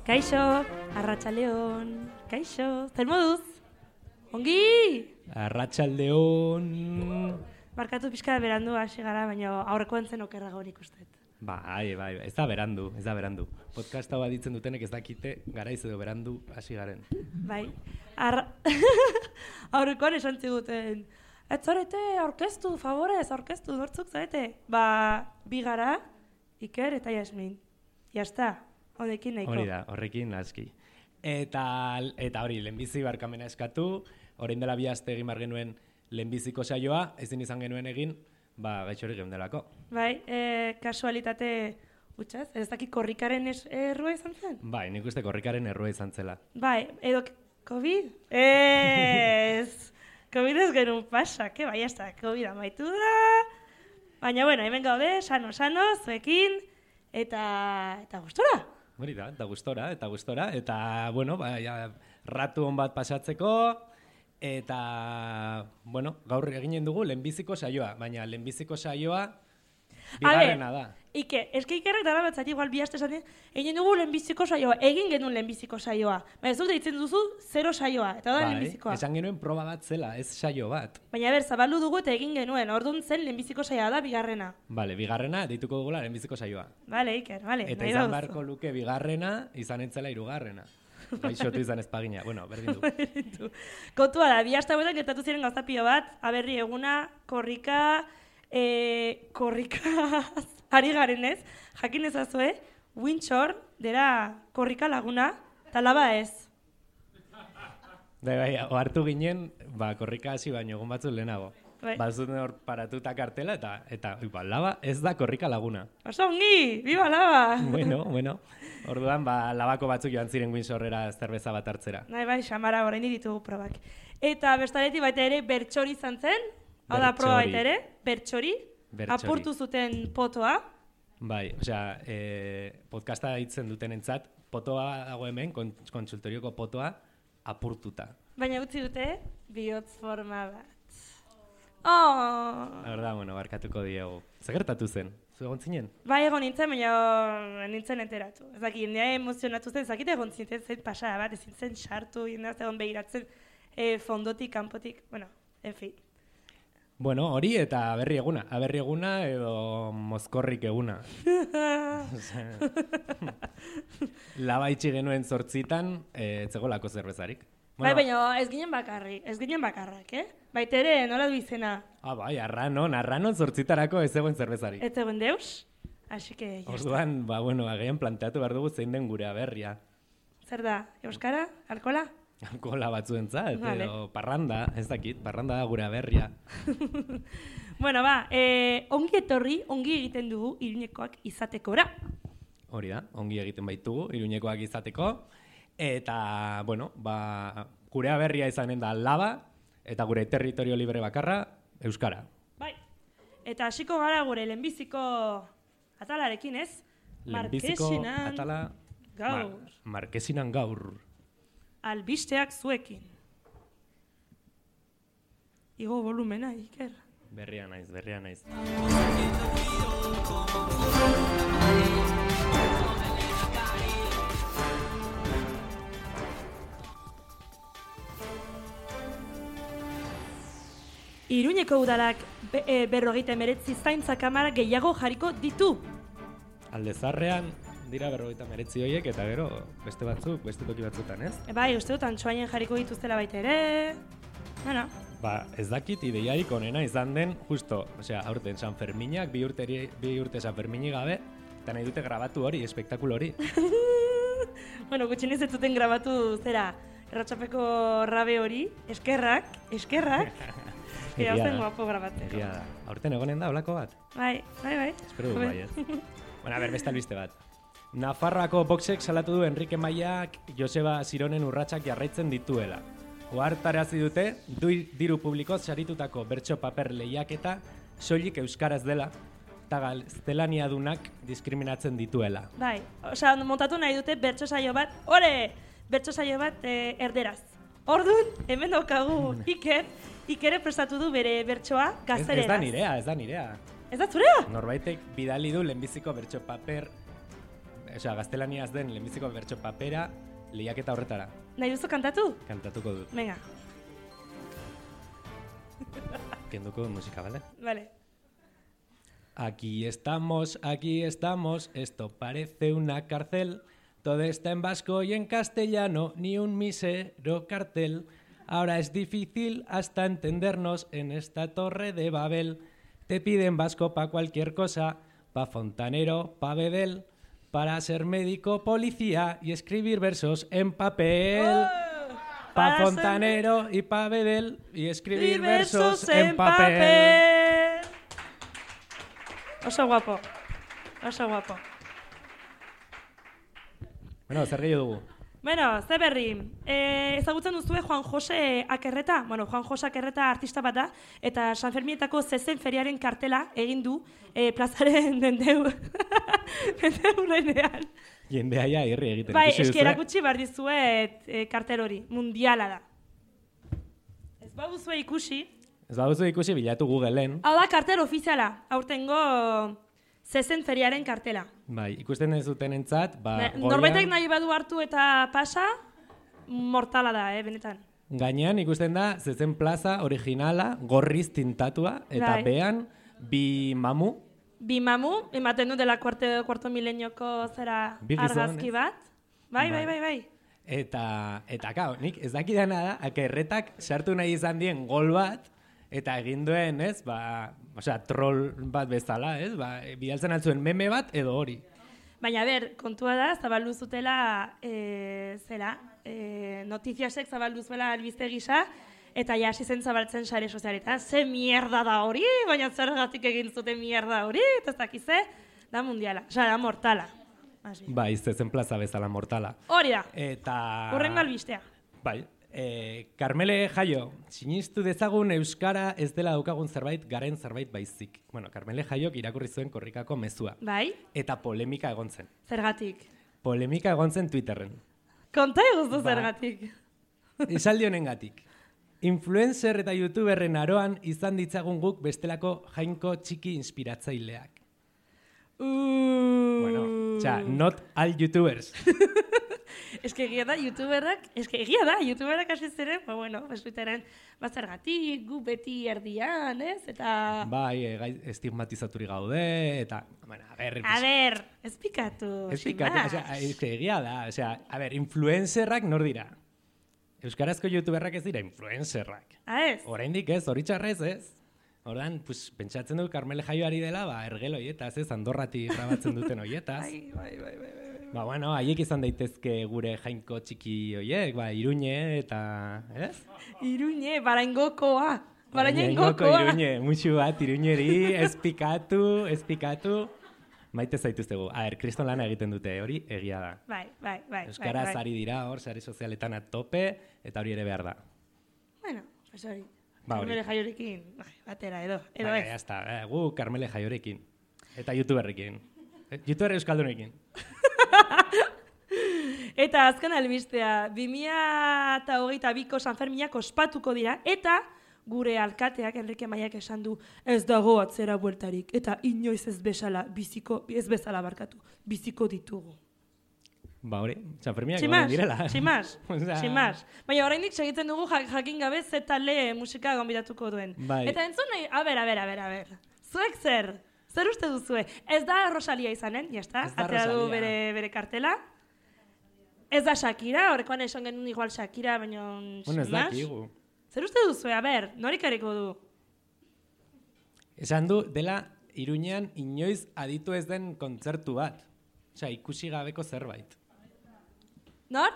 Kaixo, arratsaldeon. Kaixo, zer moduz? Ongi! Arratsaldeon. Barkatu pixka berandu hasi gara, baina aurrekoan zen okerrago ikusten. Bai, ez da berandu. Podcasta bat ditzen dutenek ez dakite garaiz edo berandu hasi garen. Bai, aurrekoan esan ziguten, ez zarete aurkeztu, favorez, aurkeztu, nortzuk zarete? Bi gara, Iker eta Jasmin. Jazta, honekin nahiko. Hori da, horrekin aski. Eta hori, lehenbizi barkamena eskatu, orain dela 2 aste egin bar genuen lehenbiziko saioa, ezin izan genuen egin, gaitxorik geundelako. Bai, kasualitate utxaz, ez dakit korrikaren errua izan zen? Bai, nik uste korrikaren errua izan zela. Bai, edo COVID? Ez! COVID ez genuen pasak, bai, ez da, COVID amaitu da. Baina, bueno, hemen gaude, sano, zuekin, eta gustora. Hori da, eta gustora, eta, bueno, ratu hon bat pasatzeko, eta, bueno, gaur eginen dugu lehenbiziko saioa, baina lehenbiziko saioa bigarrena da. Ike, eske Ikerrek dara batzat igual 2 aste esan egin dugu lehenbiziko saioa, egin genuen lehenbiziko saioa. Baina ez dut deitzen duzu 0 saioa, eta da lehenbizikoa. Esan genuen proba bat zela, ez saio bat. Baina zabaldu dugu eta egin genuen, orduan zen lehenbiziko saioa da bigarrena. Bale, bigarrena deituko dugula lehenbiziko saioa. Bale, Iker, bale. Eta izan beharko luke bigarrena, izan entzela 3. Gaixotu izan espagina, bueno, berdin du. Kontua da, 2 aste hauetan gertatu ziren gauza pilo bat, aberri eguna, korrika ari garen ez, jakin ezazue, Windshore dera korrika laguna, talaba ez. Bai, ohartu ginen, korrika hasi baino egun batzuk lehenago. Bai. Bazuten hor paratuta kartela eta laba ez da korrika laguna. Oso ongi, viva laba! Bueno, orduan labako batzuk joan ziren Windshorera zerbeza bat hartzera. Bai, xamara orain ditugu probak. Eta bestaleti baita ere bertxori izan zen, hau da proba baita ere, bertxori, apurtu zuten potoa. Bai, osea, podcasta hitzen duten entzat, potoa dago hemen, kontsultorioko potoa, apurtuta. Baina utzi dute, bihotz forma bat. Oh! Horda, bueno, barkatuko diegu. Zer gertatu zen? Zu egon zinen? Bai, egon nintzen, baina nintzen enteratu. Ez dakit, nire emozionatu zen, zakite egon zintzen zen pasada bat, ezin zen sartu, jendaz egon behiratzen fondotik, kanpotik, bueno, en fin. Bueno, hori eta aberri eguna edo mozkorrik eguna. Laba itxi genuen 8 etzegolako zerbezarik. Bai, baina ez ginen bakarrak, Baita ere, nola du izena? Bai, arranon 8 ez zegoen zerbezarik. Ez zegoen deus, así que... Orduan, agian planteatu behar dugu zein den gure aberria. Zer da, euskara, alkola? Alkola batzuentzat, edo parranda, ez dakit, parranda da gure aberria. Bueno, ongi etorri, ongi egiten dugu Iruñekoak izatekora. Hori da, ongi egiten baitugu Iruñekoak izateko. Eta, bueno, gure aberria izanen da laba, eta gure territorio libre bakarra, euskara. Bai, eta hasiko gara gure lehenbiziko atalarekin, ez? Lehenbiziko atala gaur. Markesinan gaur. Albisteak zuekin. Igo volumena, Iker. Berria naiz. Iruñeko udalak 59 zaintza kamara gehiago jarriko ditu. Aldezarrean dira 59 horiek eta gero beste batzuk, beste toki batzutan, ez? Bai, uste dut Antsoainen jarriko dituztela baita ere. Bueno. Ez dakit ideiarik onena izan den, justo, osea, aurten San Ferminak, 2 urte San Ferminik gabe, eta nahi dute grabatu hori, espektakulo hori. Bueno, gutxinez ez duten grabatu zera, erratxapeko rabe hori, eskerrak. Egia zen guapo grabatzeko. Egia da. Aurten egonen da, holako bat? Bai. Espero du bai, ez. Bueno, beste albiste bat. Nafarroako boxek salatu du Enrique Maiak Joseba Zironen urratsak jarraitzen dituela. Ohartarazi dute, diru publikoz saritutako bertso paper lehiaketa soilik euskaraz dela, eta gaztelaniadunak diskriminatzen dituela. Bai, osea, montatu nahi dute bertso saio bat, erderaz. Orduan, hemen daukagu Iker prestatu du bere bertsoa gazteleraz. Ez da nirea. Ez da zurea? Norbaitek bidali du lehenbiziko bertso paper gaztelaniaz den lehenbiziko bertso papera lehiaketa horretara. Nahi duzu kantatu? Kantatuko dut. Venga. Kenduko musika, ¿vale? Vale. Aquí estamos, esto parece una cárcel. Todo está en vasco y en castellano, ni un mísero cartel. Ahora es difícil hasta entendernos en esta torre de Babel. Te piden vasco pa' cualquier cosa, pa' fontanero, pa' bedel, para ser médico, policía y escribir versos en papel. Pa' fontanero y pa' bedel y escribir versos en papel. Oso guapo. Oso guapo. Bueno, zer gehiago dugu? Bueno, ze berri. Ezagutzen duzue Juan Jose Akerreta? Bueno, Juan Jose Akerreta artista bat da, eta San Fermietako zezen feriaren kartela egin du plazaren mendeurenean. Jendea ja irri egiten. Bai, eski erakutsi behar dizuet kartel hori, mundiala da. Ez baduzue ikusi. Ez baduzu ikusi bilatu Googleen. Hau da kartel ofiziala, aurtengo zezen feriaren kartela. Bai, ikusten ez duten entzat, Norbaitek nahi badu hartu eta pasa, mortala da, benetan. Gainean ikusten da zezen plaza originala, gorriz tintatua, eta behan bi mamu. Bi mamu, ematen du dela kuarto milenioko zera argazki bat. Bai. Eta kao, nik ez dakidana da, Akerretak sartu nahi izan dien gol bat, eta egin duen, ez, troll bat bezala, ez, bidaltzen altzuen meme bat edo hori. Baina, kontua da, zabaldu zutela, notiziasek zabaldu zuela albiste gisa, eta ja hasi zen zabaltzen sare sozialetan, ze mierda da hori, baina zergatik egin zuten mierda hori, eta ez dakize, da mundiala, da mortala. Bai, zezen plaza bezala mortala. Hori da, eta urrengo albistea. Bai. Karmele Jaio, sinistu dezagun euskara ez dela daukagun zerbait, garen zerbait baizik. Bueno, Karmele Jaiok irakurri zuen korrikako mezua. Bai. Eta polemika egon zen. Zergatik? Polemika egon zen Twitterren. Konta eguztu zergatik. Esaldi honengatik. Influencer eta youtuberren aroan izan ditzagun guk bestelako jainko txiki inspiratzaileak. Bueno, not all youtubers. Egia da, youtuberak hasi ziren, Twitteren bazergatik, gu beti erdian, ez? Eta... Bai, estigmatizaturi gaude, eta... A ber, ez pikatu. Egia da, influencerrak nor dira? Euskarazko youtuberrak ez dira influencerrak. Ez? Oraindik ez, hori txarrez ez. Ordan, pentsatzen du Karmele Jaio ari dela, ergel hoietaz, ez, Andorratik grabatzen duten hoietaz. Bai. Haiek izan daitezke gure jainko txiki hoiek, Iruñe eta, ez? Iruñe, Baraingokoa. Iruñe, musu bat Iruñeri, ez pikatu. Maite zaituztegu. Kriston lana egiten dute, hori egia da. Bai. Euskaraz ari dira hor, sare sozialetan atope, eta hori ere behar da. Bueno, pues hori. Hori. Karmele Jaiorekin, batera, edo ez. Ya está, gu Karmele Jaiorekin. Eta youtuberrekin. Youtuber euskaldunekin. Eta azken albistea, 2022ko San Ferminak ospatuko dira, eta gure alkateak, Enrique Maiak esan du, ez dago atzera bueltarik, eta inoiz ez bezala biziko ditugu. Hori, San Ferminak goren direla. Tximas. Baina oraindik segitzen dugu jakin gabe ze talde musika gonbidatuko duen. Bai. Eta entzun nahi, a ber. Zuek zer? Zer uste duzue? Ez da Rosalia izanen, jazta? Atera du bere kartela. Ez da Shakira, horrekoan esan genuen igual Shakira, baina... Bueno, ez dakigu. Zer uste duzue? A ber, norik areko du? Esan du, dela Iruñean inoiz aditu ez den kontzertu bat. Ikusi gabeko zerbait. Nor?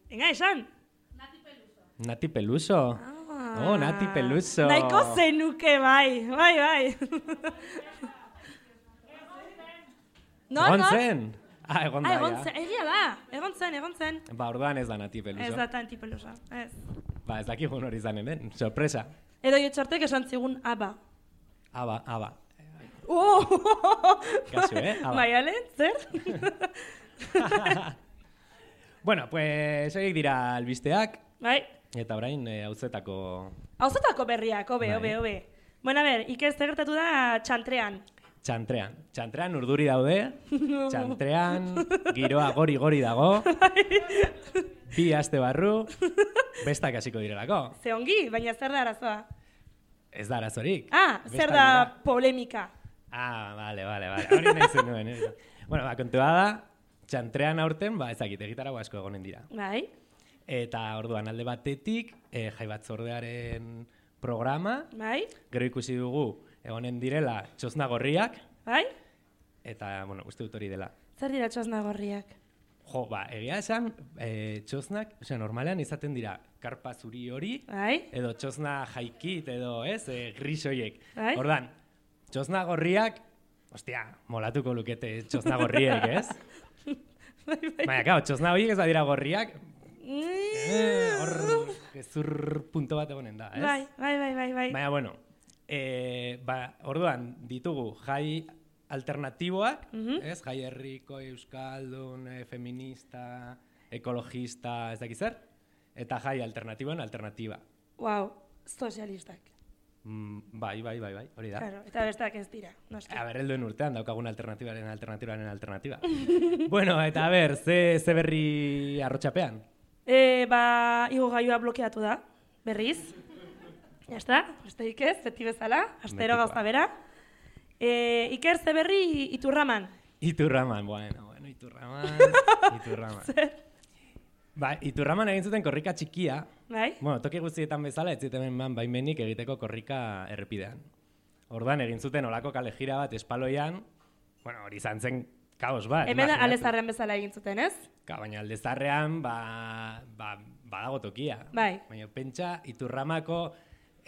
Venga, esan. Nati Peluso. Nati Peluso. Nahiko zenuke, bai. Egon zen? Egon da, ja. Egia da, egon zen. Orduan ez da Nati Peluso. Ez da Nati Peluso, ez. Ez dakigun hori zanen den, sorpresa. Edo jotxartek esan zigun Aba. Aba. Kasu, Aba. Baiale, zer? Bueno, pues horiek dira albisteak. Bai. Eta orain hauzetako berriak, obe. Bueno, a ber, Iker, zer gertatu da txantrean? Txantrean. Txantrean urduri daude, txantrean giroa gori dago, bi aste barru, bestak hasiko direlako. Ze ongi, baina zer da arazoa? Ez da arazorik. Zer da polemika? Vale. Hori nahi zen nuen. Bueno, kontua da, txantrean aurten, ezakit, egitarago asko egonen dira. Bai. Eta orduan alde batetik, jai batzordearen programa, bai. Gero ikusi dugu, egonen direla txosna gorriak, bai. Eta, uste dut hori dela. Zer dira txosna gorriak? Jo, egia esan, txosnak, normalean izaten dira, karpa zuri hori, bai. Edo txosna jaikit, edo, gris horiek. Bai. Ordan, txosna gorriak, ostia, molatuko lukete txosna gorriek, ez? Baina, kao, txosna horiek ez dira gorriak, hor, gezur punto bat egonen da, ez? Bai. Baina, bueno, orduan ditugu jai alternatiboak, ez? Jai herriko, euskaldun, feminista, ekologista, ez dakiz zer? Eta jai alternatiboen alternatiba. Wow, sozialistak. Bai, hori da. Claro, eta bestak ez dira, noski. Helduen urtean daukagun alternatibaren alternatiba. Bueno, eta ze berri arrotxapean? Igogaiua blokeatu da, berriz. Ya está, besterik ez, beti bezala, astero gauza bera. Iker, ze berri Iturraman? Iturraman. Zer? Iturraman egin zuten korrika txikia. Bai? Toki guztietan bezala, ez zuten baimenik egiteko korrika errepidean. Orduan egin zuten olako kale jira bat espaloian, hori izan zen kaos bat. Hemen Aldezarrean bezala egin zuten, ez? Baina Aldezarrean, badago tokia. Bai. Baina pentsa, Iturramako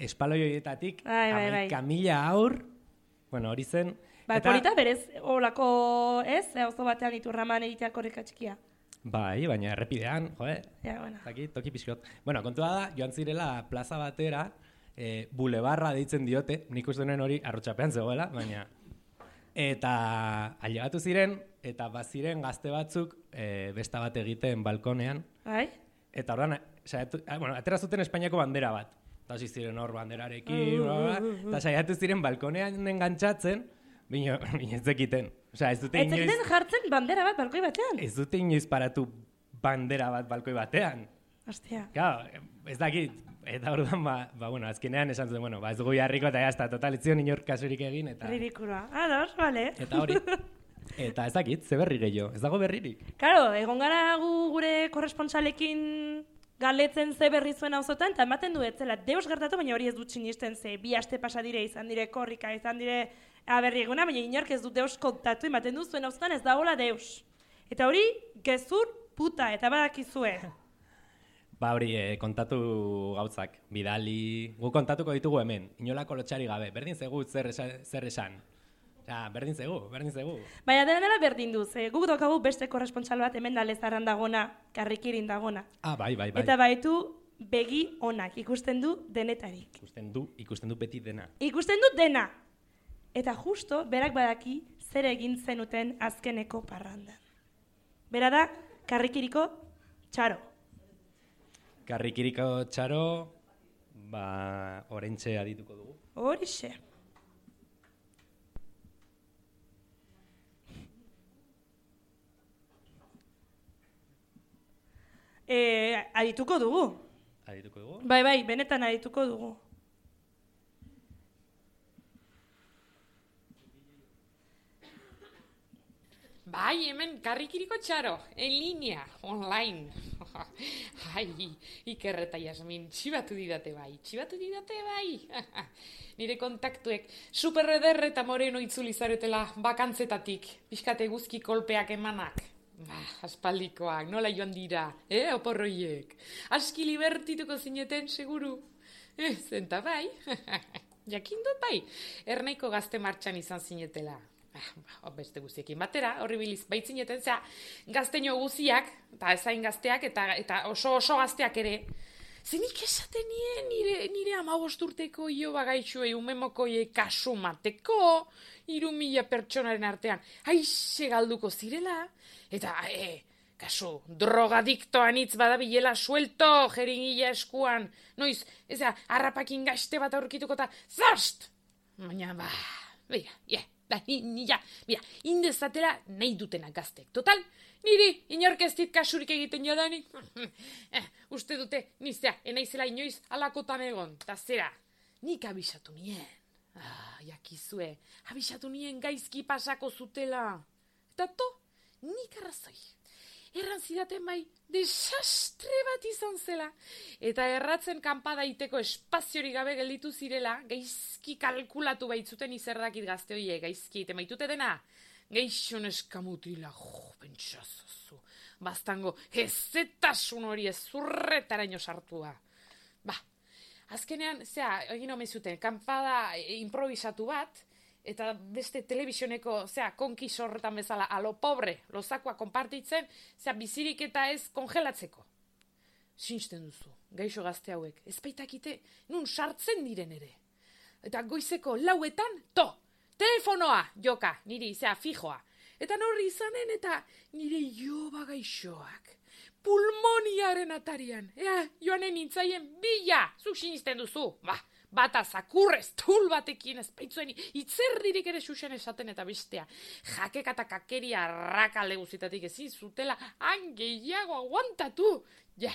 espaloi horietatik, bai. 11.000 aur, hori zen. Polita berez, olako, ez? Auzo batean Iturraman egitea korrika txikia. Bai, baina errepidean, Zaki, toki pixkot. Kontua da, joan zirela plaza batera, bulebarra deitzen diote, nik uste nuen hori arrotxapean zegoela, baina... Eta ailegatu ziren, eta baziren gazte batzuk besta bat egiten balkonean. Bai? Eta ordan, atera zuten Espainiako bandera bat. Eta hasi ziren hor banderarekin, eta saiatu ziren balkonean engantzatzen, bino ez zekiten. Ez dute inoiz... Ez zekiten jartzen bandera bat balkoi batean? Ez dute inoiz paratu bandera bat balkoi batean. Hostia. Ez dakit, eta orduan, azkenean esan zuten, ez dugu jarriko eta jazta, total, ez zion inor kasurik egin, eta... Ridikula. Ados, bale. Eta hori. Eta ez dakit, ze berri gehiago, ez dago berririk. Claro, egon gara gure korrespontsalekin galetzen ze berri zuen auzotan, eta ematen du etzela, deus gertatu, baina hori ez dut sinisten ze, 2 aste pasa dire, izan dire korrika, izan dire berri eguna, baina inork ez dut deus kontatu, ematen du zuen auzotan ez dagoela deus. Eta hori, gezur puta, eta badakizue. Hori, kontatu gauzak, bidali, gu kontatuko ditugu hemen, inolako lotxari gabe, berdin zegu zer esan. Berdin zegu. Baina dela berdin duz, guk daukagu beste korrespontsal bat hemen da Lezarran dagona, Karrikirin dagona. Bai. Eta baitu begi onak, ikusten du denetarik. Ikusten du beti dena. Ikusten du dena! Eta justo, berak badaki zer egin zenuten azkeneko parrandan. Bera da, Karrikiriko txaro. Karrikiriko txaro, orentxe adituko dugu. Horixe. Adituko dugu. Adituko dugu? Bai, benetan adituko dugu. Bai, hemen Karrikiriko txaro, en línea, online. Iker eta Jasmin, txibatu didate bai. Nire kontaktuek superreder eta moreno itzuli zaretela bakantzetatik, pixkate guzki kolpeak emanak. Aspaldikoak, nola joan dira, oporroiek. Aski libertituko zineten, seguru. Zenta bai, jakindut bai, ernaiko gazte martxan izan zinetela. Beste guztiekin batera, horri biliz baitzineten, gazteño guziak, eta ezain gazteak, eta oso gazteak ere. Zenik esaten nire 15 urteko Ioba gaitxuei umemokoie kasu mateko, 3.000 pertsonaren artean, aixe galduko zirela, eta, kasu, drogadiktoan hitz badabilela suelto, jeringila eskuan, noiz, harrapakin gaste bat aurkituko eta, zarst! Baina, Da, mira, indezatela nahi dutena gaztek. Total, niri inork ez dit kasurik egiten jadanik. Uste dute, nizea, enaizela inoiz alakotan egon. Ta zera, nik abisatu nien. Jakizue, abisatu nien gaizki pasako zutela. Eta nik arrazoi. Erran zidaten bai, desastre bat izan zela. Eta erratzen kanpada iteko espaziorik gabe gelditu zirela, gaizki kalkulatu baitzuten izerdakit gazte hoiek, gaizki ite maitute dena. Geixon eskamutila, pentsazozu. Bastango, ezetasun hori ezurretaraino sartua. Azkenean, egin omezuten, kanpada improvisatu bat, eta beste telebisioneko, konkis horretan bezala, alo pobre, lozakoa konpartitzen, bizirik eta ez kongelatzeko. Sinisten duzu, gaixo gazte hauek, ez baitakite, nun sartzen diren ere. Eta goizeko 4:00, telefonoa, joka, niri, fijoa. Eta norri izanen, eta nire joba gaixoak. Pulmoniaren atarian, joanen nintzaien bila, zuk sinisten duzu, bata zakurrez, tul batekin ez baitzuen, itzerdirik ere xuxen esaten eta bestea. Jakeka eta kakeria arrakalde guzitatik ezin zutela, gehiago aguantatu. Ja.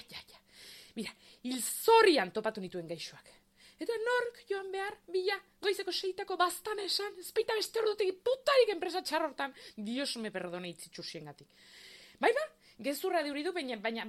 Mira, hilzorian topatu nituen gaixoak. Eta nork joan behar, bila, goizeko 6:00 bastan esan, ez baita beste ordutik putarik enpresa txarrortan, Dios me perdone itzitxusien gatik. Gezurra deuri du, baina,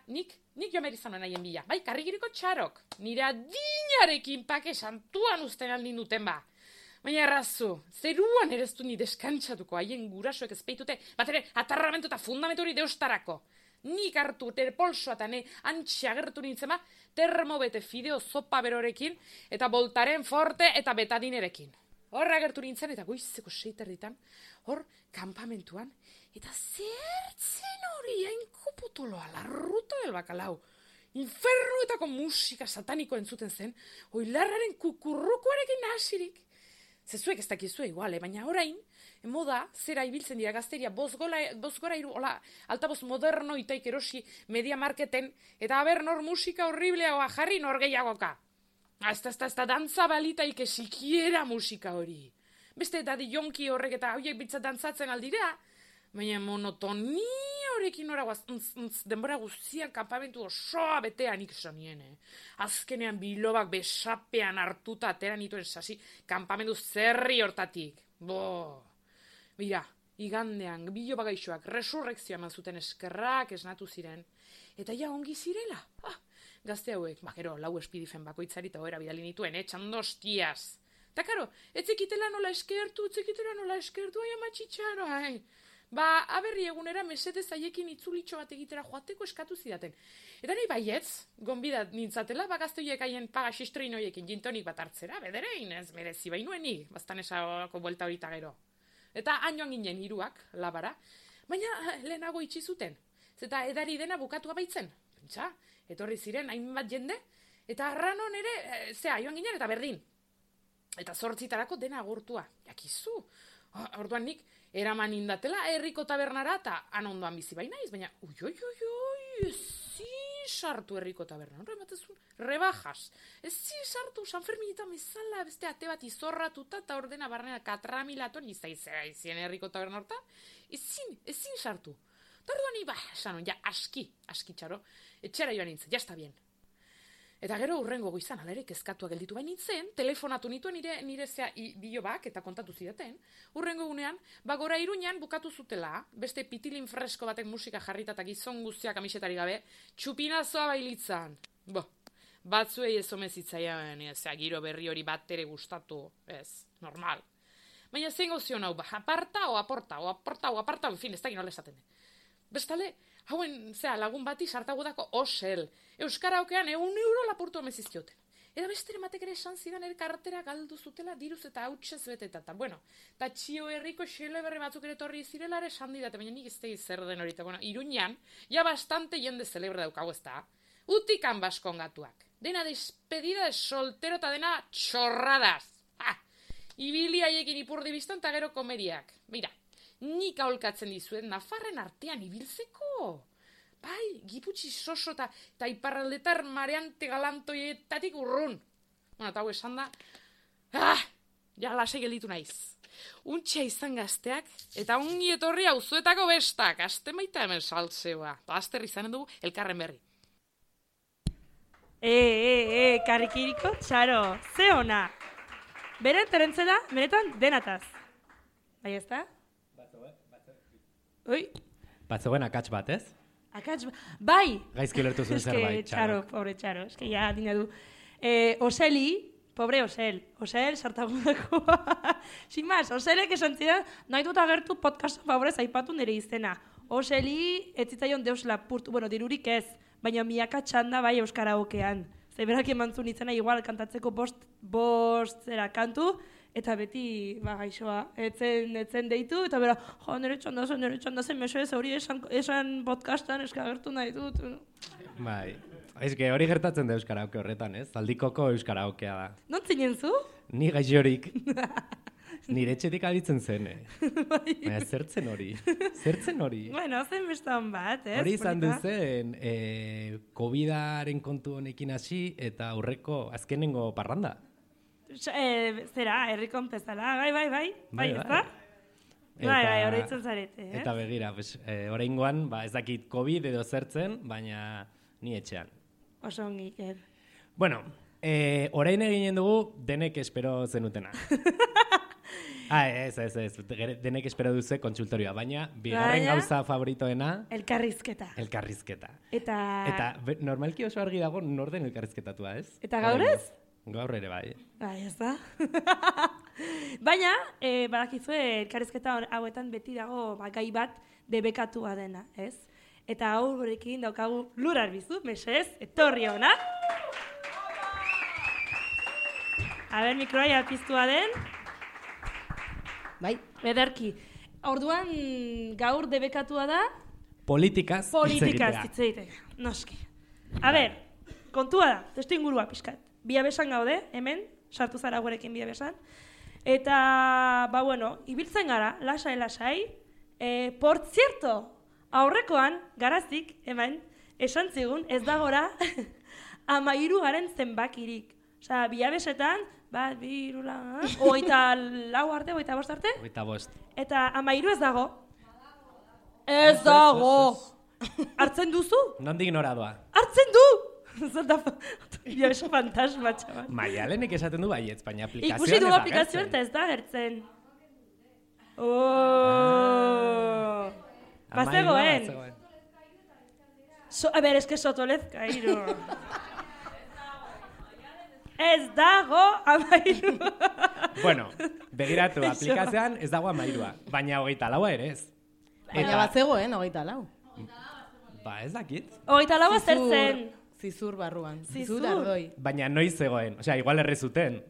nik joan behar izan nahen bila. Karrigiriko txarok, nire adinarekin pake santuan usten aldin duten Baina errazu, zeruan ere ez du ni deskantzatuko, haien gurasoek ez peitute, bat ere, atarramentu eta fundamentu hori deustarako. Nik hartu terpolsoa eta antxe agertu nintzen termobete fideo zopa berorekin, eta voltaren forte eta betadinerekin. Horra agertu nintzen, eta goizeko 6:00, hor, kampamentuan, eta zertzen hori hainkuputuloa, la ruta del bakalau. Infernuetako musika sataniko entzuten zen, oilarraren kukurrukoarekin nahasirik. Zezuek ez dakizue iguale, baina orain, moda, zera ibiltzen dira gazteria, bozgora iru, altaboz moderno itaik erosi media marketen, eta haber nor musika horribleagoa jarri nor gehiagoka. Ez da dantza balitaik sikiera musika hori. Beste dadi jonki horrek eta horiek bitzat dantzatzen aldira, baina monotonia horrekin horagoaz, denbora guztian kanpamentu osoa betean iksanien. Azkenean bilobak besapean hartuta atera nituen sasi kanpamentu zerri hortatik. Bira, igandean bilobak gaixoak resurrekzioa eman zuten eskerrak esnatu ziren. Eta ja ongi zirela. Gazte hauek, gero, 4 espidifen bakoitzari eta hoera bidali nituen, txandostiaz. Eta karo, etzekitela nola eskertu, ai amatxitxaro, aberri egunera mesedez haiekin itzulitxo bat egitera joateko eskatu zidaten. Eta nahi baietz, gonbidat nintzatela, gazte horiek haien paga xistrein horiekin jintonik bat hartzera, bederein ez merezi bainuenik, bastan esako buelta horita gero. Eta hainoan ginen hiruak, labara, baina lehenago itxi zuten. Zeta edari dena bukatua baitzen. Pentsa, etorri ziren hainbat jende, eta arranon ere, joan ginen eta berdin. Eta 8:00 dena agurtua. Jakizu. Orduan nik eraman indatela herriko tabernara eta han ondoan bizi bainaiz, baina ezin sartu herriko taberna. Horre batezun, rebajas. Ezin sartu San Ferminetan bezala, beste ate bat izorratuta eta ordena barnena katramilaton izien herriko taberna horta. Ezin sartu. Eta orduan esanon, aski txaro, etxera joan nintzen, está bien. Eta gero urrengo goizan, alere kezkatua gelditu bain nintzen, telefonatu nituen nire bilobak eta kontatu zidaten. Urrengo gunean, gora Iruñan bukatu zutela, beste pitilin fresko batek musika jarrita eta gizon guztiak kamisetari gabe, txupinazoa bailitzan. Batzuei ez omezitzaian, giro berri hori bat ere gustatu, ez, normal. Baina zein gozion hau, aparta, en fin, ez da ginola esaten den. Bestale, hauen, lagun bati sartagudako osel. Euskara aukean €1 lapurtu omezizkioten. Eta bestere matek ere esan zidan kartera galdu zutela diruz eta hautsez beteta. Eta txio herriko xele berri batzuk ere torri zirela ere esan didate, baina nik ez zer den horita. Iruñan, bastante jende celebre daukago ez da. Utikan baskongatuak. Dena despedida de soltero eta dena txorradas. Ibili haiekin ipurdi biztan eta gero komeriak. Mira. Nik aholkatzen dizuet Nafarren artean ibiltzeko. Giputxi soso eta iparraldetar mareante galantoietatik urrun. Eta hau esan da, lasai gelditu naiz. Untxa izan gazteak, eta ongi etorri auzuetako bestak, aste maita hemen saltzeoa. Azter izanen dugu elkarren berri. Karrikiriko, txaro, ze ona. Beren terentzela, benetan denataz. Bai, ez da? Ui, Batzegoen akats bat, ez? akats, bai! Gaizki ulertu zuen zerbait, Txaro, pobre txaro, eske ja dina du. Oseli, pobre Osel, sartagundakoa. Sin más, Oselek esan zidan, nahi dut agertu podcast favorez aipatu nire izena. Oseli, ez zitzaion deus lapurtu, bueno, dirurik ez, baina miaka txanda bai euskaraokean. Zeberak emantzun izena igual kantatzeko bost zera kantu, eta beti, gaixoa, etzen deitu, eta bera, nire txandazen, mesoez hori esan podcastan eskagertu nahi dut. Bai. Eske hori gertatzen da euskaraoke horretan, ez? Aldikoko euskaraokea da. Non zinen zu? Ni gaixorik. Nire etxetik aditzen zen, Baina zertzen hori? Bueno, zen bestan bat, ez? Hori izan duzen, COVID-aren kontu honekin hasi eta aurreko azkenengo parranda. Zera, herrikon pezala, bai, ez da? Bai, horreitzen zarete, eh? Eta begira, oraingoan, ez dakit COVID edo zertzen, baina ni etxean. Oso ongi, Iker. Bueno, orain eginen dugu denek espero zenutena. Ez, denek espero duze kontsultorioa, baina bigarren gauza favoritoena... Elkarrizketa. Eta normalki oso argi dago nor den elkarrizketatua, ez? Eta gaur ez? Gaur ere bai. Bai, ez da. Baina, badakizue elkarrizketa hauetan beti dago gai bat debekatua dena, ez? Eta hau gurekin daukagu Lur Arbizu, mesez, etorri hona. Aber, mikroa piztua den. Bai. Ederki. Orduan, gaur debekatua da? Politikaz hitz egitea. Noski. Aber, kontua da, testu ingurua pixkat. Biabesan gaude, hemen, sartu zara gurekin Biabesan. Eta, ibiltzen gara, lasai. Por cierto, aurrekoan, garazik, hemen, esan zigun, ez dagora 13 garen zenbakirik. Osea, Biabesetan, 1, 2, 3, 24 arte, 25 arte? 25. Eta 13 ez dago. Ez dago! Hartzen duzu? Nondik nora doa? Hartzen du! Biabesa fantasma, txaban. Maialenek esaten du baietz, baina aplikazioan ez da gertzen. Ikusi du aplikazioan eta ez da gertzen. Bazegoen. A ber, eske sotolezka, hiru. Ez dago 13. Bueno, begiratu, aplikazioan ez dago 13, baina 24 ere ez. Baina bazegoen, 24. Ba, ez dakit. 24 zertzen. Zizur barruan. Zizur ardoi. Baina noiz zegoen, osea, igual errezuten.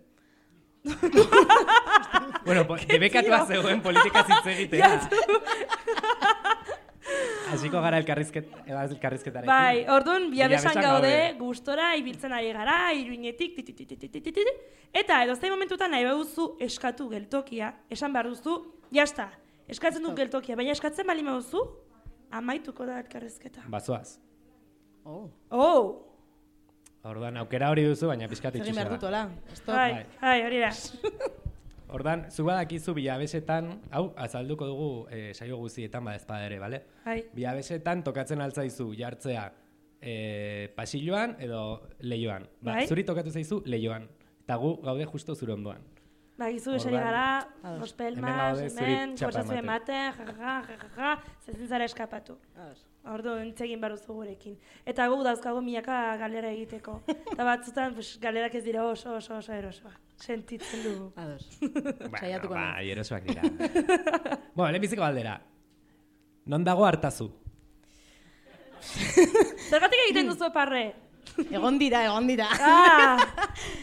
Bueno, debekatua zegoen politika hitz egitea. Hasiko gara elkarrizketarekin. Bai, orduan Biabesan gaude, gustora ibiltzen ari gara, Iruinetik, eta edozein momentutan nahi baduzu eskatu geltokia, esan behar duzu, jazta, eskatzen du geltokia, baina eskatzen bali baduzu, amaituko da elkarrizketa. Bazoaz. Orduan aukera hori duzu, baina pixkat itxusa da. Egin behar dutola. Bai, hori da. Ordan, zu badakizu Biabesetan, hau, azalduko dugu saio guztietan badezpada ere, bale? Biabesetan tokatzen altzaizu jartzea pasilloan edo leioan. Zuri tokatu zaizu leioan, eta gu gaude justo zure ondoan. Bagizu esari gara, ospelmas, hemen, kosazu ematen, jajaja, zezin zara eskapatu. Ordu, entzegin baruzu gurekin. Eta gu dauzkago milaka galera egiteko. Eta batzutan, galerak ez dira oso erosoa. Sentitzen dugu. Ados. Bai, erosoak dira. Bueno, lehenbiziko galdera. Non dago Artazu? Zergatik egiten duzu parre? Egon dira.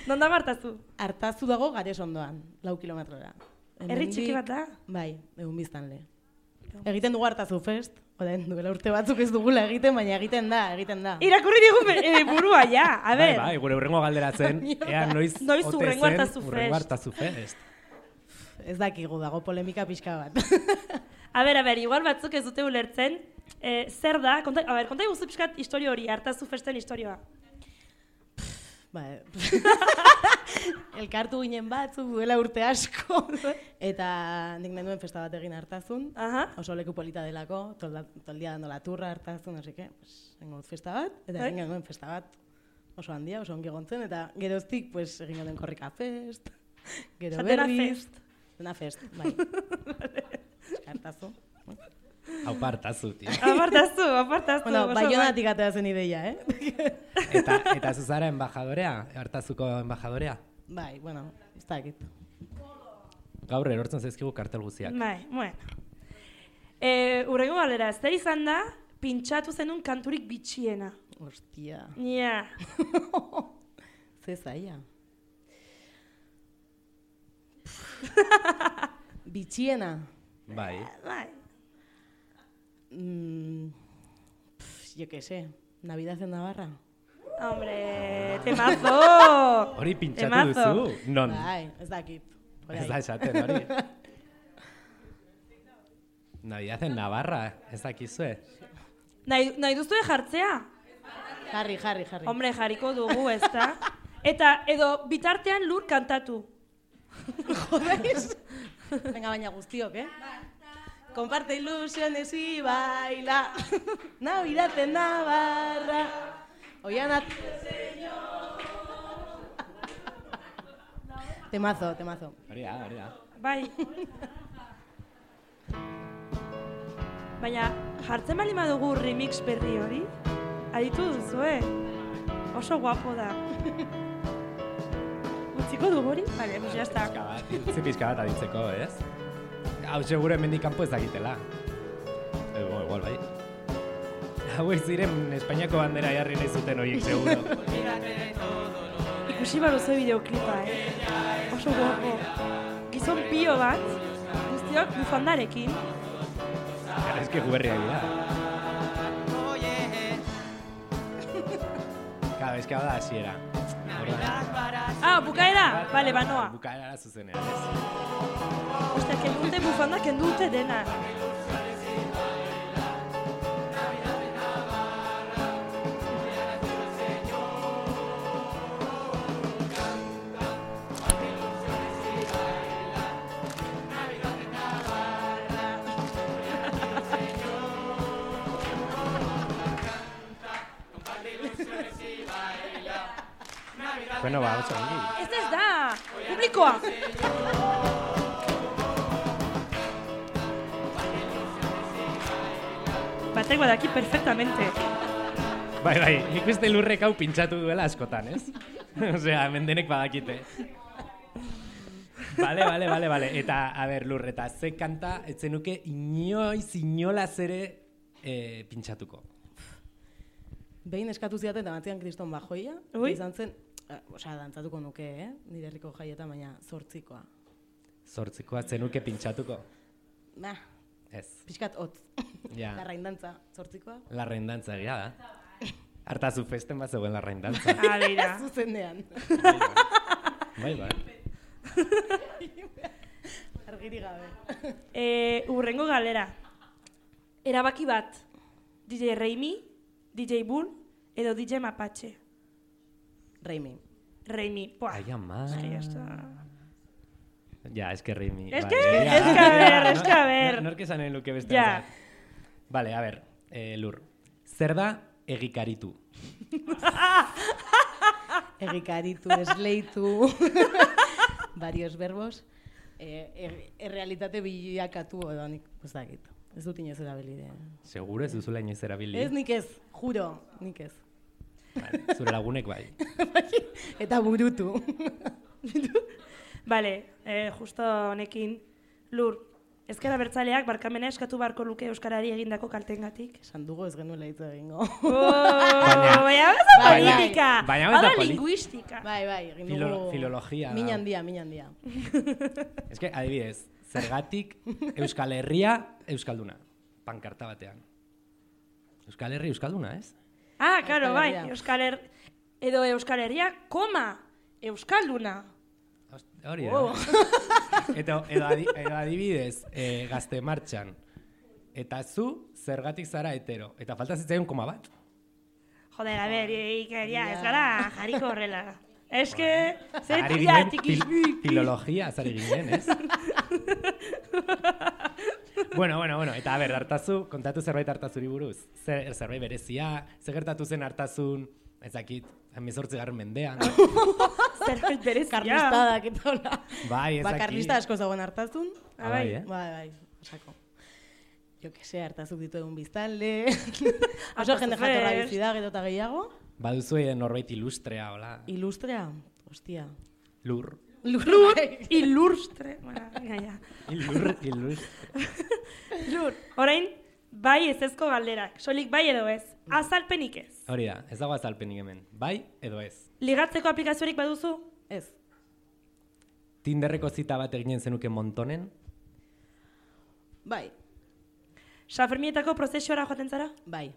Non dago Artazu? Artazu dago Gares ondoan, 4 kilometrora. Herri txiki bat da? Bai, egun biztanle. Egiten dugu Artazu Fest. Oden, duela urte batzuk ez dugula egiten, baina egiten da. Irakurri digu burua, ja, a ber. Bai, gure urrengo galderatzen, ea noiz urrengo Artazu Fest. Ez dakigu, dago polemika pixka bat. A ber, igual batzuk ez dute ulertzen, zer da, konta guzu pixkat historio hori, Artazu Festen historioa. elkartu ginen batzuk duela urte asko, eta nik nahi nuen festa bat egin hartazun, oso leku polita delako, toldia dando la turra hartazun, así que, pues, egin festa bat, eta egin nuen festa bat oso handia, oso ongi egontzen, eta geroztik, pues, egin nuen korrika fest, gero berriz. Dena fest, bai. Hartazu. Apartazu, tío. Apartazu. Bueno, Baionatik atea zen ideia, Eta zuzara embajadorea? Hartazuko embajadorea? Bai, bueno, ez dakit. Gaur erortzen zaizkigu kartel guztiak. Bai, bueno. Urrengo galera, zer izan da, pintxatu zenun kanturik bitxiena? Ostia. Ja. Ze zaila. Bitxiena. Bai. Yo qué sé, Navidad en Navarra. Hombre, temazo! Hori pintxatu duzu? Non? Bai, ez dakit. Ez da esaten, hori. Navidad en Navarra, ez dakizue. Nahi duzue jartzea? Jarri. Hombre, jarriko dugu, ez da? Eta edo bitartean Lur kantatu. Jodez? Venga, baina guztiok, Comparte ilusiones y baila. Navidad en Navarra. Oianat. Temazo. Hori da. Bai. Baina, jartzen bali madugu remix berri hori? Aditu duzu, Oso guapo da. Utziko dugu hori? Vale, pues ya está. Pizka bat aditzeko, ez? Hau segure hemendik kanpo ez dakitela. Igual bai. Hauek ziren Espainiako bandera jarri nahi zuten horiek, seguro. Ikusi baruzu bideoklipa, Oso guapo. Gizon pio bat, guztiok bufandarekin. Ez que guberriak dira. Claro, ez que hau da hasiera. Bukaera? Vale, banoa. Bukaera zuzenean, ez? Ostia, kendute bufanda, kendute dena. Bueno, ba, oso ongi. Ez da, publikoa! Batek badaki perfectamente. Bai, nik uste Lurrek hau pintxatu duela askotan, ez? Osea, hemen denek badakite. Vale. Eta, a ber, Lur, eta ze kanta etzenuke inolaz ere pintxatuko? Behin eskatu zidaten eta batzian kriston bajoia. Izan zen, dantzatuko nuke, nire herriko jaietan, baina 8koa. 8koa zenuke pintxatuko? Ez. Pixkat hotz. Ja. Larraindantza, 8koa. Larraindantza, egia da. Hartazu festen bat zegoen larraindantza. Alira. Zuzenean. Bai. Argiri gabe. Urrengo galera. Erabaki bat. DJ Reimi, DJ Bull, edo DJ Mapache. Reimi. Buah. Ai, ama. Es que ya está. Ja, es que Reimi. Es que a ver. Nork esanen luke beste. Ja. Vale, a ver, Lur. Zer da egikaritu? Egikaritu, esleitu, varios verbos. Errealitate bilakatu edo nik, ez dakit. Ez dut inoz erabilide. Seguro ez duzula inoz erabili? Ez, nik ez, juro, nik ez. Vale, zure lagunek bai. Eta burutu. Vale, justo honekin, Lur, ezkera bertzaleak barkamena eskatu barko luke Euskarari egindako kaltengatik. Esan dugu ez genuela hitz egingo. Baina ez da politika, baina lingüistika. Bai, egin dugu... Filologia. Min handia. Ez que, adibidez, zergatik Euskal Herria Euskalduna, pankarta batean. Euskal Herri Euskalduna, ez? Ah, claro, bai, edo Euskal Herria, Euskalduna. Hori da. Edo adibidez, Gazte Martxan. Eta zu, zergatik zara hetero. Eta falta zitzaion koma bat. Joder, a ber, Iker, ez gara jarriko horrela. Eske, Ari ginen, filologia, zari ginen, ez? Bueno, eta a ber, Artazu, kontatu zerbait Artazuri buruz. Zerbait berezia, zer gertatu zen Artazun, ezakit, 18. mendean. Zerbait berezia. Karlistadak eta hola. Bai, ezakit. Karlista asko zagoen Artazun. Bai, Bai, osako. Jo que se, Artazuk ditu egun biztanle. Oso jende jatorra bizi da, gero eta gehiago. Baduzu norbait ilustrea, hola. Ilustrea? Hostia. Lur. Ilustre. Bueno, ja. Lur. Orain, bai ezezko galderak. Solik bai edo ez. Azalpenik ez. Hori da, ez dago azalpenik hemen. Bai edo ez. Ligatzeko aplikaziorik baduzu? Ez. Tinderreko zita bat eginen zenuke Montonen? Bai. Sanferminetako prozesiora joaten zara? Bai.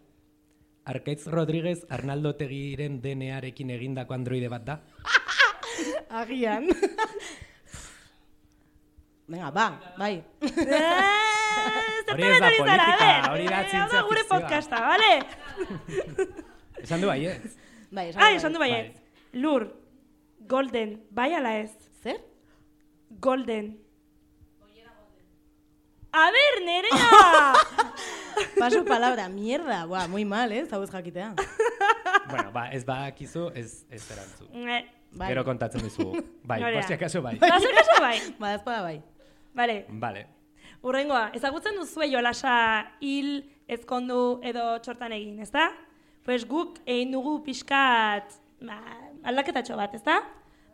Arkaitz Rodríguez Arnaldo Tegiren DNA-rekin egindako androide bat da? Agian. Venga, bai. Hori ez da politika, hori da zientzia gure fikzioa. podcasta, bale? Esan du baiez. Bai, esan du baiez. Lur, Golden, bai ala ez? Zer? Golden. A ber, Nerea! Paso palabra, mierda. Buah, muy mal, zauz jakitea. Bueno, ez badakizu, ez erantzu. Bai. Gero kontatzen dizugu. Bai, posti akaso bai. Posti akaso bai. Badazpada bai. Vale. Urrengoa, ezagutzen duzue jolasa hil, ezkondu edo txortan egin, ezta? Pues guk egin dugu pixkat aldaketatxo bat, ezta?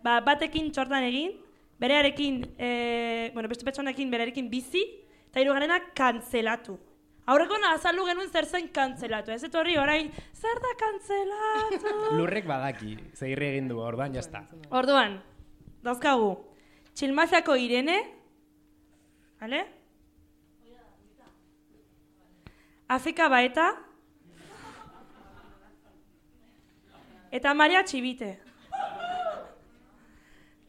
Batekin txortan egin, berearekin, beste pertsonekin berearekin bizi, eta hirugarrena kantzelatu. Aurreko azaldu genuen zer zen kantzelatu, ez etorri orain, zer da kantzelatu? Lurrek badaki, zegirri egin du, orduan jazta. Orduan, dauzkagu, Txilmaziako Irene, vale? Afrika Baeta, eta Maria Txibite.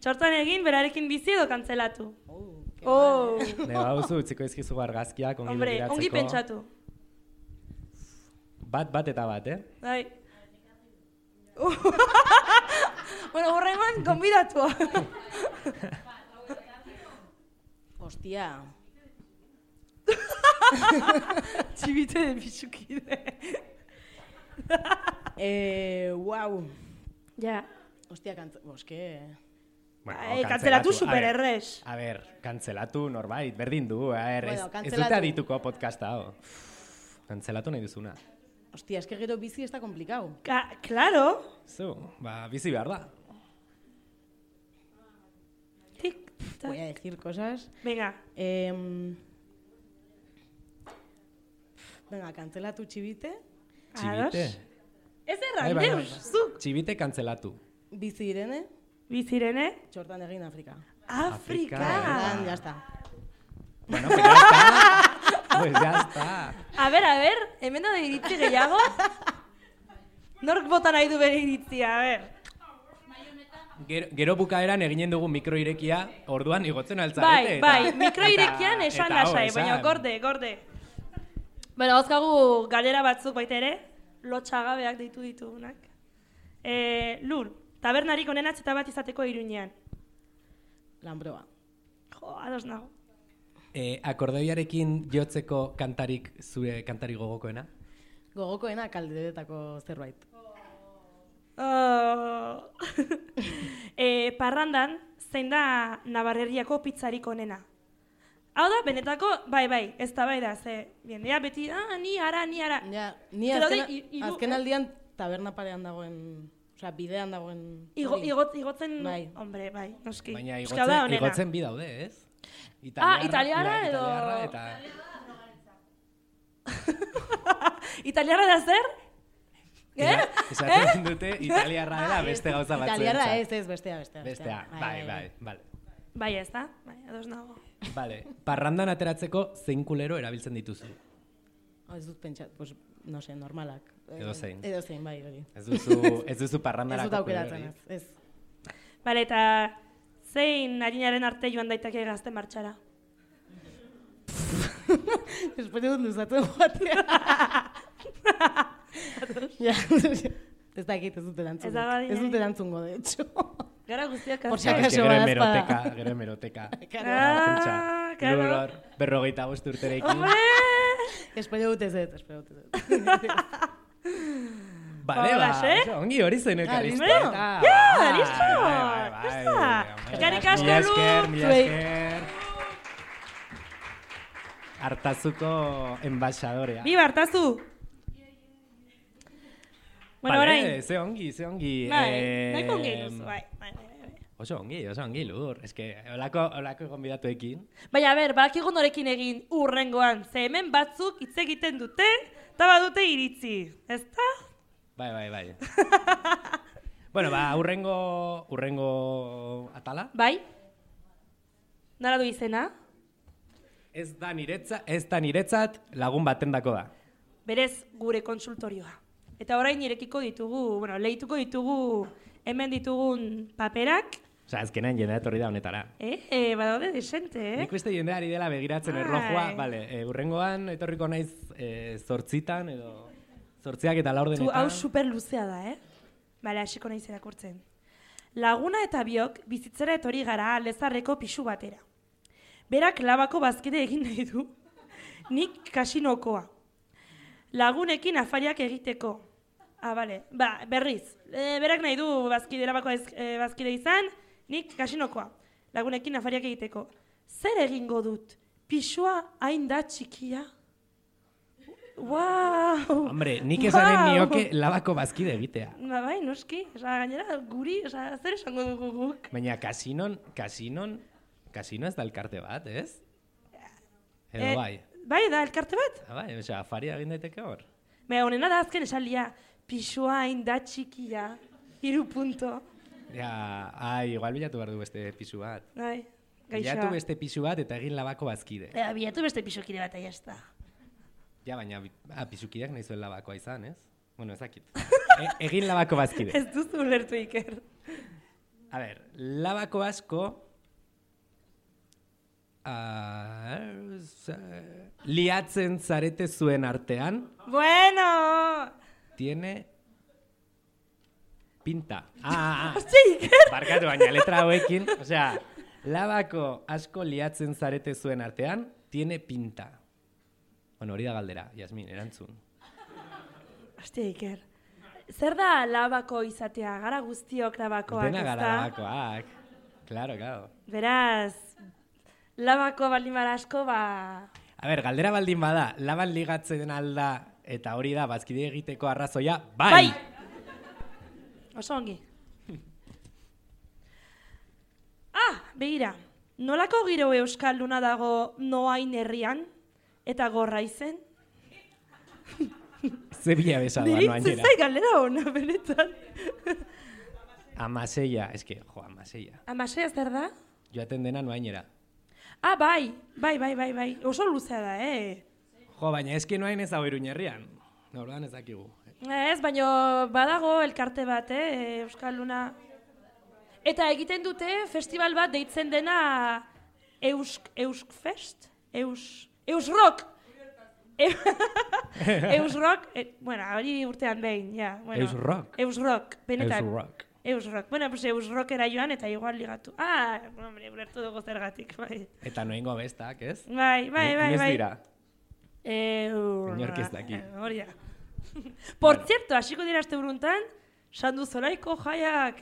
Txortan egin, berarekin bizi edo kantzelatu. Neba hauzu, utziko izkizu argazkiak, ongi begiratzeko. Ongi pentsatu. Bat eta bat, Bai. Bueno, horrengoan, konbidatua. Hostia. Txibite de pixukide. Wow. Ja. Hostia, boske... Kantzelatu supererrez. A ber, kantzelatu norbait, berdin du, ez dute adituko podcasta, hau. Kantzelatu nahi duzuna. Hostia, eske gero bizi ez da komplikau. Claro. Zu, bizi behar da. Voy a decir cosas. Venga. Venga, kantzelatu Txibite. Txibite? Ez erran, zuk. Txibite kantzelatu. Bizi Irene. Bizirene. Txortan egin Afrika. Afrika. Ya está. Bueno, pues ya está. Pues ya está. A ver, hemen da iritzi gehiago. Nork bota nahi du bere iritzia, a ver. Gero bukaeran eginen dugu mikroirekia, orduan igotzen altzarete. Bai, mikroirekian esan lasai, baina gorde. Bueno, hozkagu galera batzuk baita ere, lotxagabeak deitu ditugunak. Lur. Tabernarik onenatz eta bat izateko Iruñean. Lanbroa. Jo, ados nago. Akordeoiarekin jotzeko kantarik, zure kantarik gogokoena? Gogokoena Kaldedetako zerbait. Parrandan, zein da Navarreriako pizzarik onena? Hau da, benetako, bai, ez da bai da, ze, biendea beti, ni ara. Ja, ni azken aldian taberna parean dagoen... Osea, bidean dagoen... Igotzen... Bai. Hombre, bai, noski. Baina igotzen bi daude, ez? Italiarra edo... Italiarra da zer? Esaten dute italiarra dela beste gauza batzuentzat. Italiarra ez, bestea. Bestea, bai. Bai, ez da? Bai, ados nago. Vale, parrandan ateratzeko zein kulero erabiltzen dituzu? Ez dut pentsat, pues, no sé, normalak. Edo zein, bai, hori. Ez duzu parrandarako. Ez dut aukeratzen, ez. Bale, eta zein harinaren arte joan daiteke gazte martxara? Espero dut luzatzen joatea. Ez dakit, ez dut erantzungo. Ez da badi, Ez dut erantzungo, de hecho. Gara guztiak Por si azte. acaso Gero badazpada. hemeroteka. Claro. 55 urterekin. Hombre! Espero dut ez dut. Bale, Hola, oso ongi hori zen elkarrizketa. listo. Ja, listo. Eskerrik asko, Mila Lu. esker. Hartazuko enbaixadorea. Biba, hartazu. Bueno, Bale, orain. ze ongi. Bai, nahiko ongi duzu, bai. Oso ongi, Lur. Ez que, holako gonbidatuekin. Baina, badakigu norekin egin urrengoan. Ze hemen batzuk hitz egiten dute, eta badute iritzi. Ezta? Bai. Bueno, urrengo atala. Bai? Nara du izena? Ez da niretzat lagun batendako da. Berez gure konsultorioa. Eta orain irekiko ditugu, lehituko ditugu hemen ditugun paperak. Osa, azkenean jendea etorri da honetara. Badaude desente, Nik uste jendeari dela begiratzen erlojua. Bale, urrengoan etorriko naiz 8 edo 8 eta 4 Hau super luzea da, Bale, hasiko naiz irakurtzen. Laguna eta biok bizitzera etorri gara Lezarreko pisu batera. Berak labako bazkide egin nahi du, nik kasinokoa. Lagunekin afariak egiteko. Bale, berriz. Berak nahi du labako bazkide izan, nik kasinokoa. Lagunekin afariak egiteko. Zer egingo dut? Pisua hain da txikia? Wow! Hombre, nik esanen nioke labako bazkide egitea. Bai, noski. Gainera, guri, zer esango dugu guk? Baina kasino ez da elkarte bat, ez? Edo bai. Bai, da elkarte bat? Bai, osea, afaria egin daiteke hor. Honena da azken esalia. Pisua hain da txikia. 3 punto. Ja, igual bilatu behar du beste pisu bat. Bai, gaixoa. Bilatu beste pisu bat eta egin labako bazkide. Bilatu beste pisukide bat, aia ez da. Ja, baina pisukideak nahi zuen labakoa izan, ez? Bueno, ezakit. Egin labako bazkide. Ez duzu ulertu, Iker. A ber, labako asko... liatzen zarete zuen artean... Bueno! Tiene... pinta. Iker! Barkatu, baina letra hauekin... Osea, labako asko liatzen zarete zuen artean... Tiene pinta. Bueno, hori da galdera, Jasmin, erantzun. Hostia, Iker. Zer da labako izatea? Gara guztiok labakoak, Dena ezta? gara labakoak. Claro. Beraz, labako baldin bada asko, A ber, galdera baldin bada, laban ligatzen alda eta hori da bazkide egiteko arrazoia, bai! Bai! Oso ongi. Begira, nolako giro euskalduna dago Noain herrian eta Gorraizen? Ze bila besada noainera. Diritze zai galdera hona, benetan. Amaseia, eske, Amaseia. Amaseia zer da? Joaten dena noainera. Bai. Oso luzea da, Baina eske noain ez hau Iruñerrian. Orduan ez dakigu. Ez, baina badago elkarte bat, euskalduna. Eta egiten dute festival bat deitzen dena Euskfest? Eusrock! Eusrock, hori urtean behin, ja. Eusrock? Eusrock, benetan. Eusrock. Bueno, pues Eusrockera joan eta igual ligatu. Hombre, ulertu dugu zergatik, bai. Eta noengo bestak, ez? Bai. Inoz dira? Inork ez daki. Hori da. Por cierto, hasiko dira aste buruntan, Sandu Zoraiko jaiak,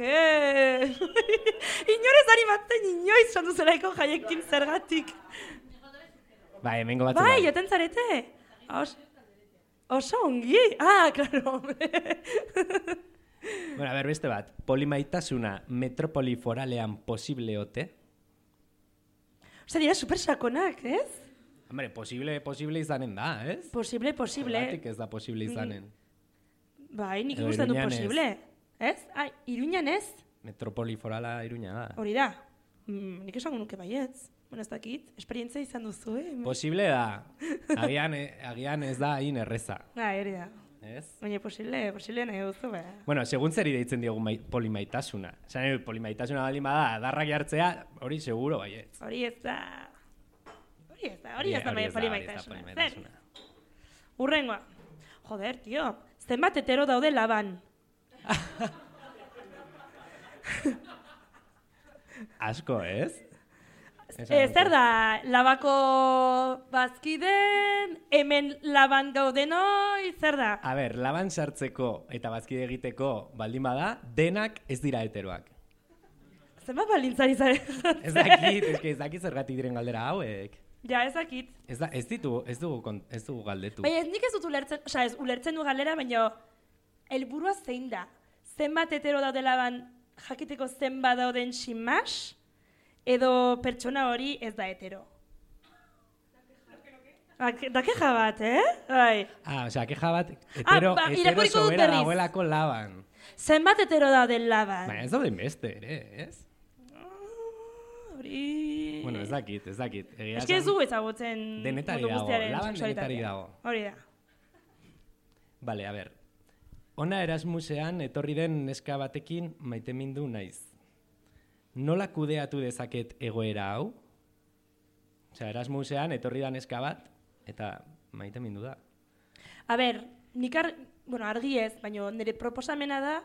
Inorez animatzen inoiz Sandu Zoraiko jaiekin zergatik. Bai, hemengo batzu bai. Joten zarete? Oso ongi? Claro. Bueno, a ber, beste bat. Polimaitasuna metropoli foralean posible ote? Osea, dira supersakonak, ez? Hombre, posible izanen da, ez? Posible. Zergatik ez da posible izanen. Bai, nik ikusten du posible. Ez? Iruñan ez? Metropoli forala Iruña da. Hori da. Nik esango nuke baietz. Bueno, ez dakit. Esperientzia izan duzu, Posible da. Agian ez da hain erreza. Hori da. Ez? Baina posible nahi duzu, Bueno, segun zeri deitzen diogu polimaitasuna. Zan, polimaitasuna baldin bada, darrak jartzea, hori seguro baietz. Hori ez da polimaitasuna. Urrengoa. Joder, tio, zenbat hetero daude laban? Asko, ez? Zer da, labako bazkiden, hemen laban gaudenoi, zer da? A ber, laban sartzeko eta bazkide egiteko baldin bada, denak ez dira heteroak. Zenbat balintzari zare? Ez dakit zergatik diren galdera hauek. Ja, ez dakit. Ez dugu galdetu. Baina nik ez dut ulertzen, ulertzen du galdera, baina helburua zein da? Zenbat hetero daude laban jakiteko zenbat dauden sinmas, edo pertsona hori ez da hetero. Da keja bat, Bai. Keja bat, hetero sobera dagoelako laban. Zenbat hetero dauden laban? Baina ez dauden beste, ere, ez? Hori... Bueno, ez dakit. Ez ez du ezagutzen denetari dago, laban denetari dago. Hori da. Bale, a ber. Ona Erasmusean etorri den neska batekin maitemindu naiz. Nola kudeatu dezaket egoera hau? Osea, Erasmusean etorri da neska bat eta maitemindu da. A ber, argi ez, baina nire proposamena da...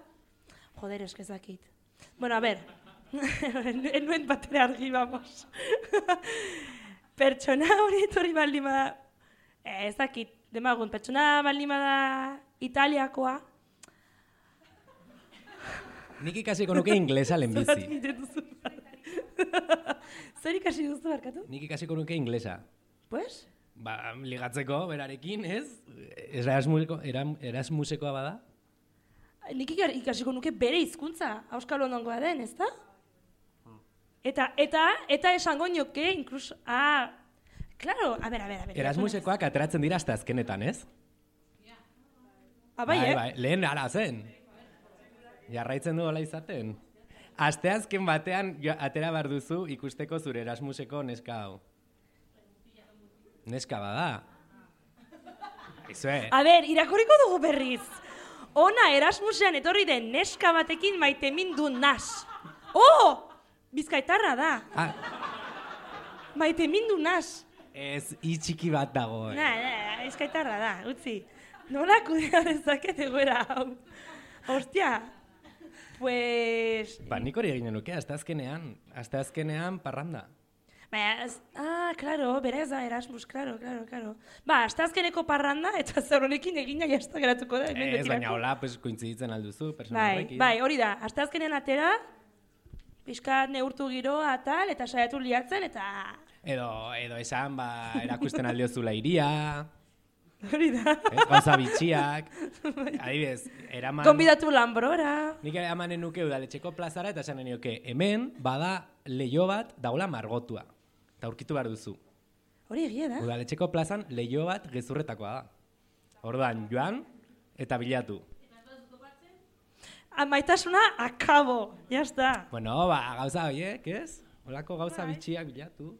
Joder, ez dakit. Bueno, a ber, enuen batera argi, vamos. Pertsona hori etorri baldin bada... Ez dakit, demagun, pertsona baldin bada Italiakoa... Nik ikasiko nuke inglesa lehenbizi. Zer ikasi duzu barkatu? Nik ikasiko nuke inglesa. Pues? Ligatzeko, berarekin, ez? Erasmusekoa bada? Nik ikasiko nuke bere hizkuntza, auskalo onongoa den, ez da? Eta esango nioke, incluso... Claro, a ver. Erasmusekoak ateratzen dira hasta azkenetan, ez? Bai, lehen ara zen. Jarraitzen du hola izaten. Asteazken batean atera behar duzu ikusteko zure Erasmuseko neska hau. Neska bada. A ber, irakurriko dugu berriz. Ona Erasmusean etorri den neska batekin maitemindu nas. Bizkaitarra da. Maitemindu nas. Ez, itxiki bat dago. Bizkaitarra da, utzi. Nola kudea dezaket egoera hau. Hostia. Pues... nik hori eginen nuke, asteazkenean parranda. Claro, berez da Erasmus, claro. Asteazkeneko parranda eta zer honekin egina jazta geratuko da. Ez, baina hola, kointziditzen alduzu, persona horrekin. Bai, hori da, asteazkenean atera, pixkat neurtu giroa tal, eta saiatu liatzen, eta... Edo esan, erakusten aldiozula iria... Hori da. Gauza bitxiak. Adibidez, eraman... Konbidatu Lambrora. Nik eramanen nuke udaletxeko plazara eta esanen nioke, hemen bada leiho bat daula margotua. Eta aurkitu behar duzu. Hori egia da. Udaletxeko plazan leiho bat gezurretakoa da. Orduan, joan eta bilatu. Maitasuna akabo, jazta. Bueno, gauza horiek, ez? Holako gauza bitxiak bilatu.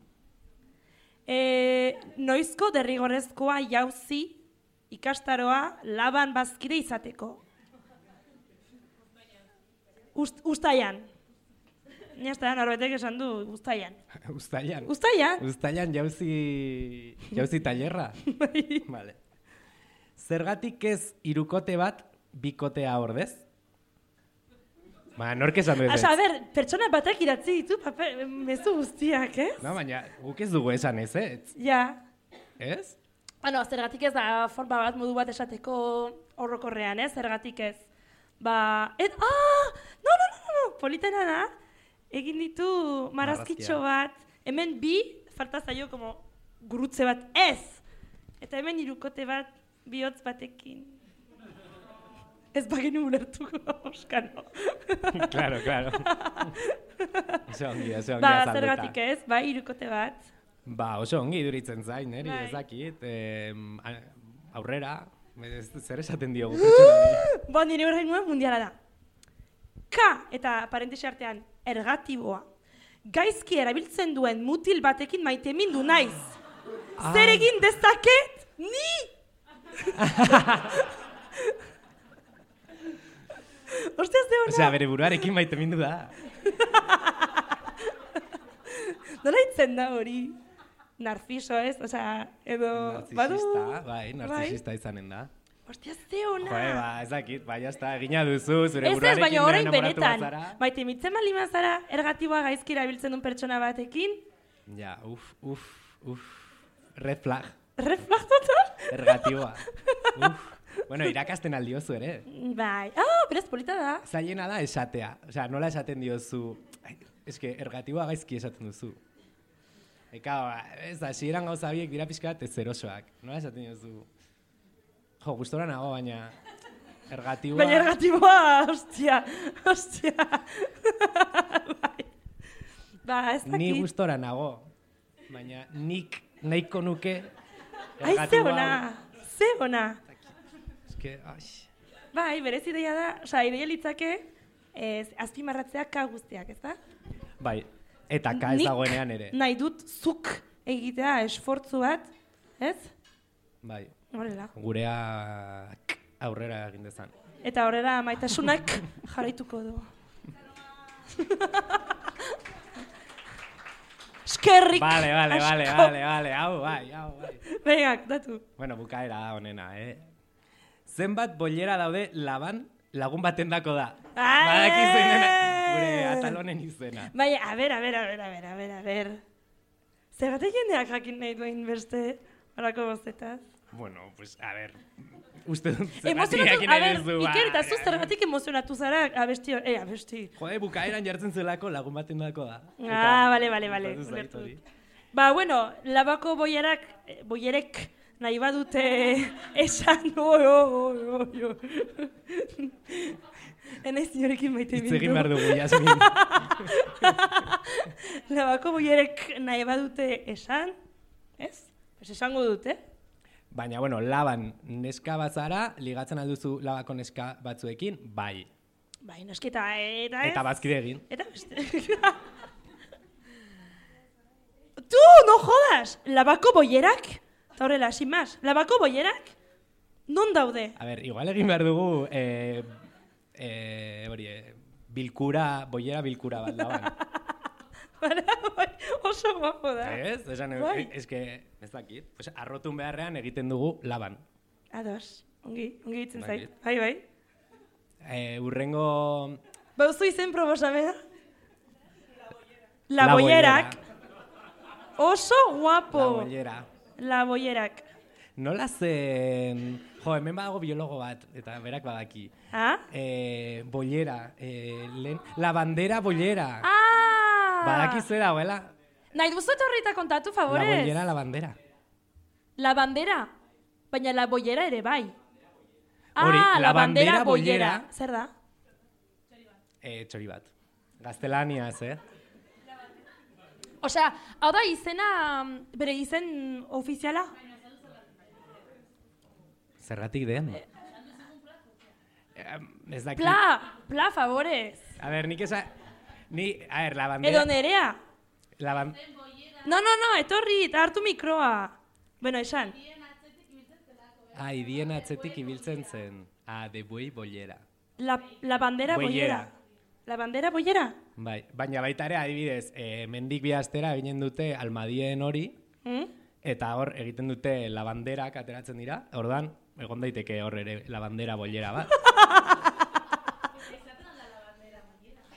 Noizko derrigorrezkoa jauzi ikastaroa laban bazkide izateko. Uztailan. Niazta, norbetek esan du, uztailan. Uztailan jauzi tailerra. Vale. Zergatik ez hirukote bat bikotea ordez? Nork esan du ez? A ber, pertsona batak idatzi ditu mezu guztiak, ez? No, baina guk ez dugu esan ez, ez? Ja. Ez? Zergatik ez da forma bat, modu bat esateko horrokorrean, ez? Zergatik ez. No, politena da. Egin ditu marrazkitxo bat. Hemen bi, falta zaio como gurutze bat, ez! Eta hemen hirukote bat, bihotz batekin. Ez bagenu ulertuko, Oskano. Claro. Oso ongi azaldeta. Zergatik ez, hirukote bat. Oso ongi iduritzen zain, ez dakit. Aurrera, zer esaten diogu pertsona. Nire horrein nuen mundiala da. K eta parentesi artean ergatiboa. Gaizki erabiltzen duen mutil batekin maitemindu naiz. Zer egin dezaket? Ni! Osea, bere buruarekin maitemindu da. Nola hitzen da hori? Narciso, ez? Osea, edo... Narcisista, narcisista izanen da. Ostia, ze ona. Joe, ez dakit, jazta, egina duzu, zure buruarekin baina orain enamoratu benetan. bazara. Maite, mitzen bali mazara, ergatiboa gaizki erabiltzen duen pertsona batekin. Ja, red flag. Red flag total? Ergatiboa. Bueno, irakasten aldiozu ere. Bai, berez polita da. Zailena da esatea. Osea, nola esaten diozu. Eske, ergatiboa gaizki esaten duzu. Eka, ez da, hasieran gauza biek dira pixka bat ezerosoak. Nola esaten diozu. Jo, gustora nago, baina ergatiboa... Baina ergatiboa, ostia. Ba, ez dakit. Ni gustora nago, baina nik nahiko nuke Ai, ze ona. Eske, Bai, berez ideia da, osea, ideia litzake azpimarratzea ka guztiak, ez da? Bai, eta ka ez dagoenean ere. Nahi dut zuk egitea esfortzu bat, ez? Bai. Horrela. Gureak aurrera egin dezan. Eta horrela maitasunak jarraituko du. Eskerrik Vale, hau bai. Venga, datu. Bueno, bukaera da honena, Zenbat bollera daude lagun baten dako da. Badaki zeinen gure atalonen izena. Bai, a ver. Zergatik jendeak jakin nahi duen beste horako bozetaz? Bueno, pues, a ver, uste dut zergatik jakin nahi duzu. Iker, eta zu zergatik emozionatu zara abesti. Jode, bukaeran jartzen zelako lagun baten dako da. Vale. Ba, bueno, labako boierek nahi badute esan, Enaiz niorekin maite bindu. Itzegin behar dugu, Jasmin. Labako boierek nahi badute esan, ez? Pues esango dute. Baina, bueno, laban neska batzara, ligatzen alduzu labako neska batzuekin, bai. Bai, nosketa, eta ez? Eta bazkide egin. Eta beste. Tu, no jodas! Labako boierak? Eta horrela, sin más. Labako boierak? Non daude? A ver, igual egin behar dugu, boiera bilkura bat laban. Oso guapo da. Ez? Esan, eske, ez dakit. Pues, arrotun beharrean egiten dugu laban. Ados, ongi hitzen zait. Bai. Urrengo... Bauzu izen probosamena? La boierak. Oso guapo. La boierak. Nola zen... Jo, hemen badago biologo bat, eta berak badaki. Boiera, la bandera boiera. Badaki zue dagoela. Nahi duzu etorrita kontatu, favorez? La boiera, la bandera. La bandera? Baina la boiera ere bai. Hori, la bandera boiera. Zer da? Txori bat. Gaztelaniaz, Osea, hau da izena, bere izen ofiziala? Zergatik den? Ez dakit. Pla, favorez. A ver, nik esa... a ver, la bandera... Edo nerea? No, etorri, hartu mikroa. Bueno, esan. Idien atzetik ibiltzen zen. De buey bollera. La bandera bollera. La bandera bollera? Bai, baina baita ere adibidez, mendik bihaztera eginen dute almadien hori, eta hor egiten dute la banderak ateratzen dira, ordan, egon daiteke hor ere la bandera bollera bat.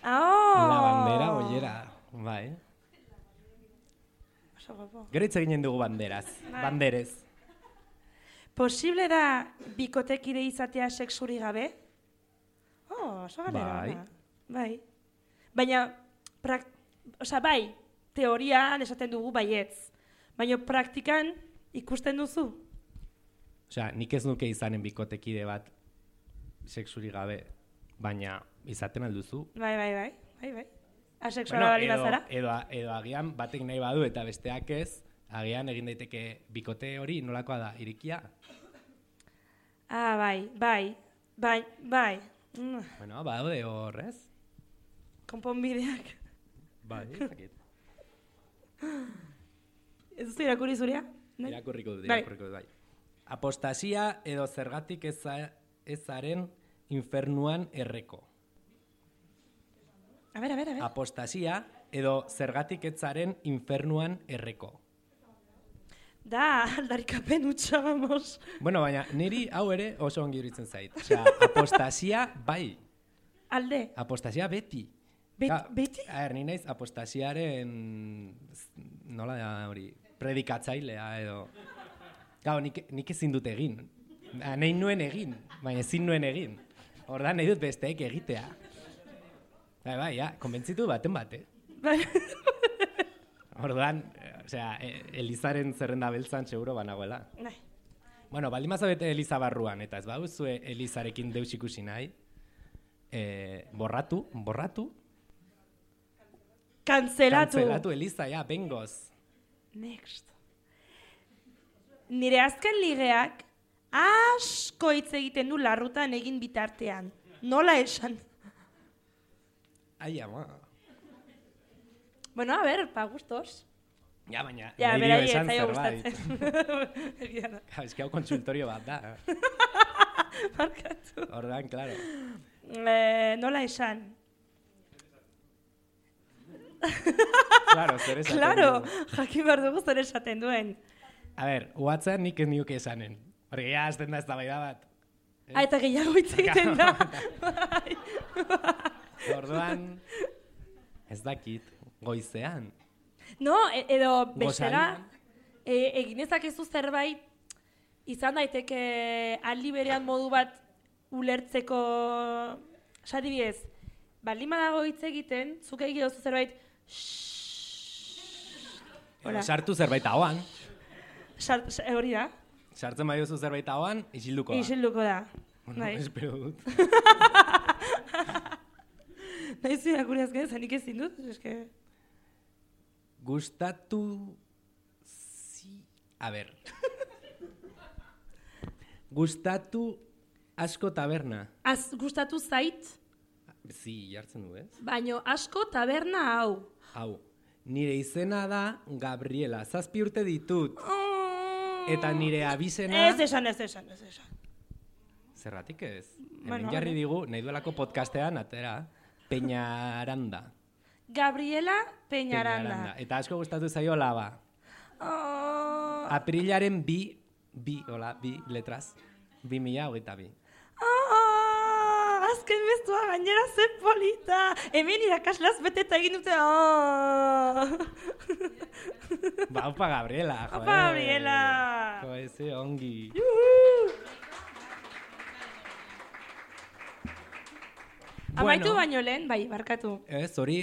La bandera bollera, bai. Gero hitz eginen dugu banderaz, banderez. Posible da bikotekide izatea sexuri gabe? Oso galera. Bai. Baina, bai, teorian esaten dugu baietz. Baina praktikan ikusten duzu? Osea, nik ez nuke izanen bikotekide bat sexuri gabe, baina izaten alduzu. Bai. Asexuala bali bazara? Edo agian batek nahi badu eta besteak ez, agian egin daiteke bikote hori nolakoa da, irikia? Bai. Bueno, badaude horrez. Konponbideak. Bai, zakit. Ez duzu irakurri zurea? Irakurriko dut, bai. Apostasia edo zergatik ezaren infernuan erreko. A ver. Apostasia edo zergatik etzaren infernuan erreko. Da, aldarikapen utxa, vamos. Bueno, baina, niri hau ere oso ongi iruditzen zait. Osea, apostasia bai. Alde? Apostasia beti. Beti? Ni naiz apostasiaren, nola da hori, predikatzailea edo. Nik ezin dut egin. Nahi nuen egin, baina ezin nuen egin. Ordan nahi dut besteek egitea. Bai, konbentzitu baten bat, Ordan, osea, Elizaren zerrenda beltzan seguro banagoela. Nahi. Bueno, baldin mazabete Eliza barruan, eta ez baduzue Elizarekin deus ikusi nahi, borratu. Kanzelatu Eliza, bengoz. Next. Nire azken ligeak asko hitz egiten du larrutan egin bitartean. Nola esan? Ai, ama. Bueno, a ver, pa gustos. Ja, baina, Ja, nahi dio beraiek esan zaio zerbait. gustatzen. Ez que hau konsultorio bat da. Markatu. Ordan, claro. Nola esan? Claro, zer esaten Claro, du. jakin behar dugu zer esaten duen. A ver, WhatsApp nik ez nioke esanen. Porque ya azten da eztabaida bat. Eta gehiago hitz egiten da. Orduan, ez dakit, goizean. No, edo bestela, Gozalian. egin ezakezu zerbait, izan daiteke aldi berean modu bat ulertzeko, adibidez, baldin badago hitz egiten, zuk egin duzu zerbait, Edo sartu zerbait ahoan. hori da, Sartzen bai duzu zerbait ahoan, isilduko da. isilduko da. Bueno, Bai. espero dut. Nahi zu irakurri azken, zanik ezin dut, eske... Gustatu... A ber. Gustatu asko taberna. Gustatu zait, Jartzen du, ez? baino asko taberna hau. Hau, nire izena da Gabriela, 7 urte ditut. Eta nire abizena... Ez esan. Zerratik ez? Bueno, Hemen jarri digu, nahi duelako podcastean, atera, Peñaranda. Gabriela Peñaranda. Eta asko gustatu zaio laba. Aprilaren bi letraz. 2022. Azken bestua gainera zen polita. Hemen irakaslaz beteta egin dute. Ba, opa Gabriela, joe. Opa Gabriela. Joe, ze ongi. Amaitu baino lehen, bai, barkatu. Ez, hori,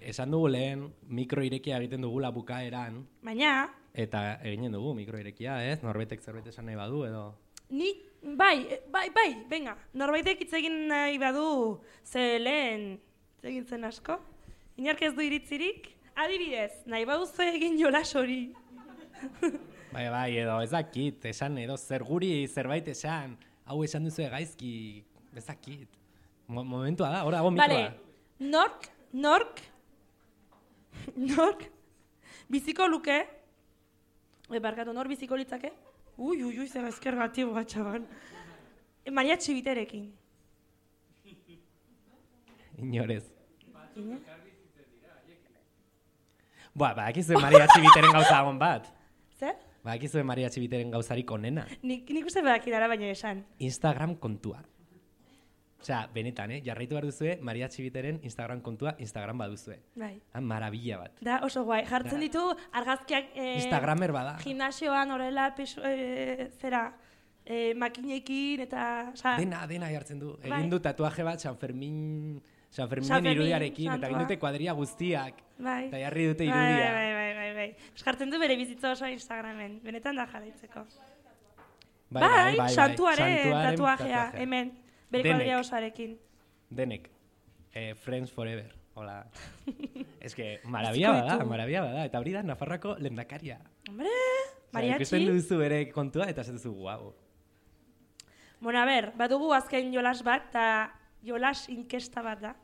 esan dugu lehen, mikro irekia egiten dugula bukaeran. Baina, Eta eginen dugu mikro irekia, ez? Norbetek zerbait esan nahi badu, edo... ni, bai, venga. Norbaitek hitz egin nahi badu, ze lehen, hitz egin zen asko. Inork ez du iritzirik. Adibidez, nahi baduzu egin jolas hori. Bai, edo ez dakit, esan edo zer guri zerbait esan, hau esan duzu gaizki, ez dakit. Momentua da, hor dago mikroa. Vale, nork, biziko luke, barkatu, nor biziko litzake? Ui, zer ezkergatibo bat, txaban. Mariatxi biterekin. Inorez. Bakizue mariatxi biteren gauza agon bat. Zer? Bakizue mariatxi biteren gauzarik onena. Nik uste badakidara baina esan. Instagram kontua. Osea, benetan, jarraitu behar duzue, mariatxi biteren Instagram kontua, Instagram baduzue. Bai. Marabila bat. Da, oso guai. Jartzen ditu argazkiak... Instagramer bada. Gimnasioan horrela, makinekin eta... Dena jartzen du. Bai. Egin du tatuaje bat San Ferminen irudiarekin, eta egin dute kuadria guztiak. Bai. Eta jarri dute irudia. Bai. Jartzen du bere bizitza oso Instagramen. Benetan da jarraitzeko. Bai, santuaren tatuajea, hemen. Bere Denek. kuadria osoarekin. Denek. Friends Forever. Hola. Ez que, marabia bada. Eta hori da, Nafarroako lehendakaria. Hombre, mariatxi. Ikusten duzu bere kontua, eta ez duzu guau. Bueno, a ber, badugu azken jolas bat, eta jolas inkesta bat da.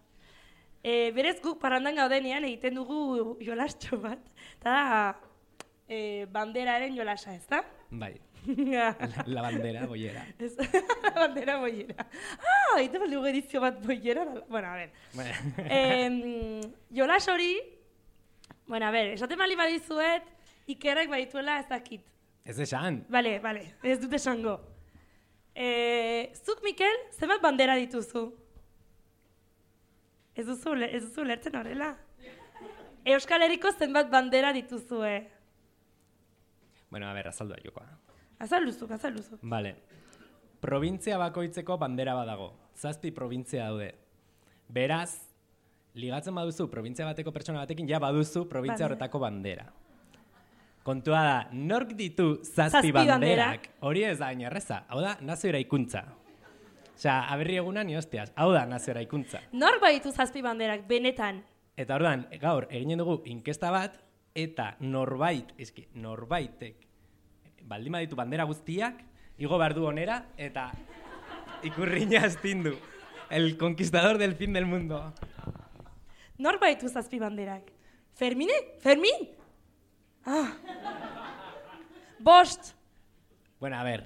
Berez guk parrandan gaudenean egiten dugu jolastxo bat. Eta da, banderaren jolasa, ez da? Bai. La bandera boiera. La bandera boiera. Egiten bat dugu edizio bat boiera. Bueno, a ber. Jolas hori, bueno, a ber, esaten bali badizuet, ikerrek badituela ez dakit. Ez esan. Bale, ez dut esango. Zuk, Mikel, zenbat bandera dituzu? Ez duzu lertzen horrela. Euskal Herriko zenbat bandera dituzue? Bueno, a ver, azaldua jokoa. Azalduzuk. Vale. Provintzia bakoitzeko bandera badago. 7 provintzia daude. Beraz, ligatzen baduzu provintzia bateko pertsona batekin, ja baduzu provintzia horretako bandera. Kontua da, nork ditu 7 banderak? Hori ez da erreza. Hau da, nazio eraikuntza. Osea, aberri egunan ni hostias. Hau da, nazio eraikuntza. Nork baditu 7 banderak, benetan? Eta orduan, gaur, eginen dugu inkesta bat, eta norbaitek baldin baditu bandera guztiak, igo behar du onera, eta ikurriña astindu. El conquistador del fin del mundo. Nork baditu 7 banderak? Fermin? Ah. 5. Bueno, a ver,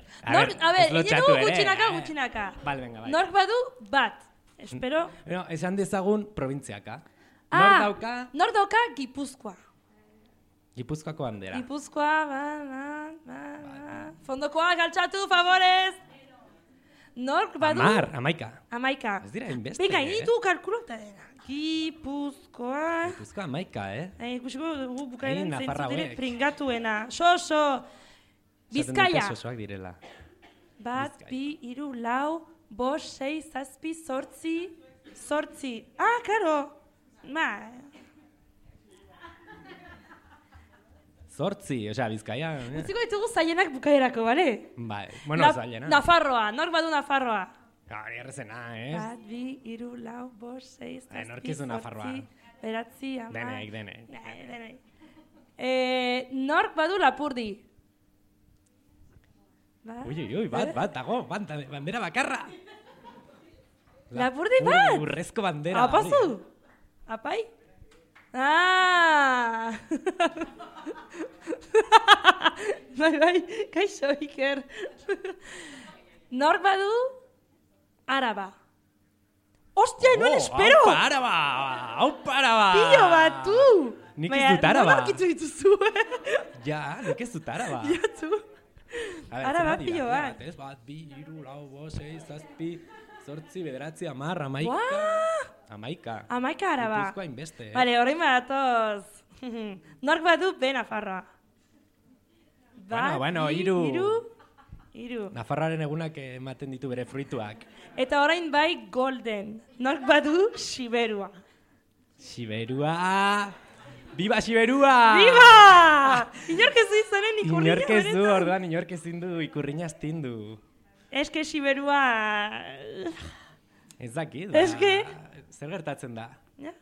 gutxinaka. Vale, venga, bai. Nork badu bat. Espero. No, esan dezagun provintziaka. Nork dauka Gipuzkoa. Gipuzkoako bandera. Fondokoa, galtzatu, favorez. Nork badu... 11. Ez dira inbeste. Venga, initu kalkulota dena. Gipuzkoa, 11, Ikusiko dugu bukaeren Nafarra zeintzu dire hauek. Pringatuena. Soso. Bizkaia. Sosoak direla. 1, 2, 3, 4, 5, 6, 7, 8. Ah, karo. Zortzi, osea, Bizkaia. Utziko ditugu zaienak bukaerako, bale? Bai, bueno, zaiena. Nafarroa, nork badu Nafarroa? Hori errezena, ez? 1, 2, 3, 4, 5, 6, 7, Norkizu Nafarroa. 8, 9. Denek. Nork badu Lapurdi? Ui, bat, dago, bandera bakarra. Lapurdi bat? Urrezko bandera. Apazu? Apai? Ah! Bai, kaixo, Iker. Nork badu Araba. Ostia, non espero! Aupa Araba! Pillo bat, tu! Nik ez dut Araba. Nork itzu dituzu, Ja, nik ez dut Araba. Ja, tu. Araba pillo bat. 1, 2, 3, 4, 5, 6, 7, 8, 9, 10, 11. Amaika. Amaika Araba. Gipuzkoa inbeste, Vale, horrein badatoz. Nork badu Nafarra. Bueno, 3. Nafarraren egunak ematen ditu bere fruituak. Eta orain bai Golden. Nork badu Siberua. Siberua! Viva Siberua! Viva! Inork ez du izanen ikurriña. Inork ez du, orduan inork ezin du ikurriña astindu. Eske Siberua... Ez dakit, zer gertatzen da? Ja?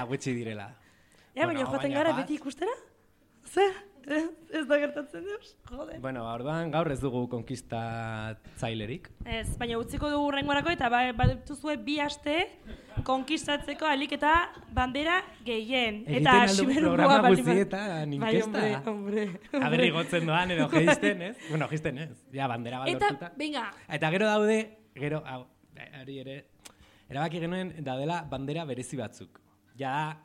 Gutxi direla. Ja, baina joaten gara beti ikustera? Zer? Ez da gertatzen deus? Jode. Bueno, orduan gaur ez dugu konkistatzailerik. Ez, baina utziko dugu urrengorako eta badutuzue 2 aste konkistatzeko alik eta bandera gehien. Eta Siberua programa guztietan inkesta. Bai, hombre. Aberri gotzen doan edo geisten, ez? Bueno, geisten ez. Ja, bandera bat lortuta. Eta, venga. Eta gero daude, hori ere, erabaki genuen daudela bandera berezi batzuk. Ja,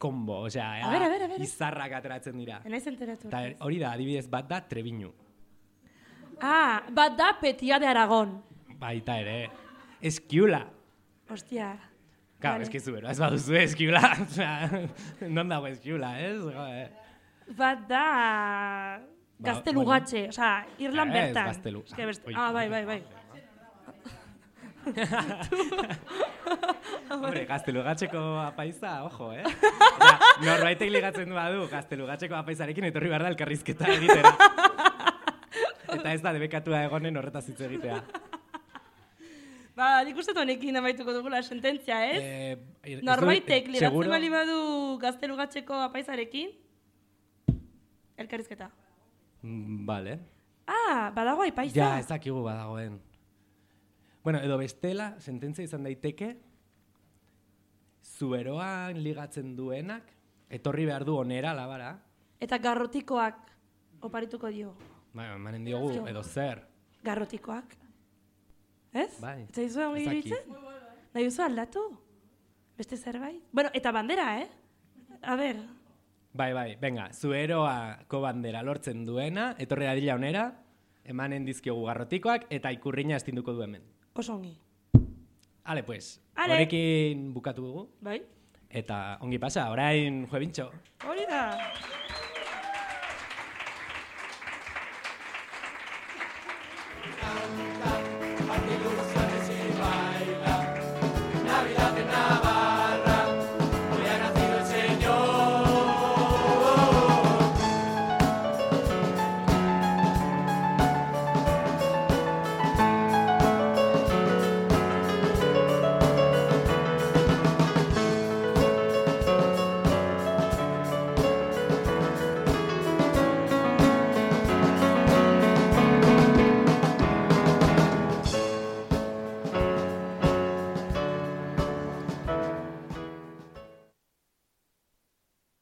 kombo, osea, a ver. izarrak ateratzen dira. Enaiz enteratu. Eta hori da, adibidez, bat da Trebiñu. Ah, bat da Petia de Aragon. Baita ere. Eskiula. Hostia. Claro, eskizu bero, ez baduzu eskiula. Non dago eskiula, ez? Bat da... Gaztelugatxe, osea, Irlan bertan. Ez, Gaztelu. Ah, bai. Hombre, Gaztelugatxeko apaiza, ojo, Norbaitek ligatzen badu Gaztelugatxeko apaizarekin etorri behar da elkarrizketa egitera. Eta ez da debekatua egonen horretaz hitz egitea. Nik uste honekin amaituko dugula sententzia, ez? Norbaitek ligatzen bali badu Gaztelugatxeko apaizarekin, elkarrizketa. Vale. Ah, badago aipaiza. Ja, ez dakigu badagoen. Bueno, edo bestela, sententzia izan daiteke, zuberoan ligatzen duenak, etorri behar du onera, labara. Eta garrotikoak oparituko dio. Bai, emanen diogu, edo zer. Garrotikoak. Ez? Bai. Eta izu ongi diritzen? Nahi duzu aldatu? Beste zerbait? Bueno, eta bandera, A ber, Bai, venga, zueroako bandera lortzen duena, etorri dadila onera, emanen dizkiogu garrotikoak, eta ikurriña estinduko du hemen. Oso ongi. Ale, pues, Ale. horekin bukatu dugu. Bai. Eta ongi pasa, orain juebintxo. Hori da. Canta,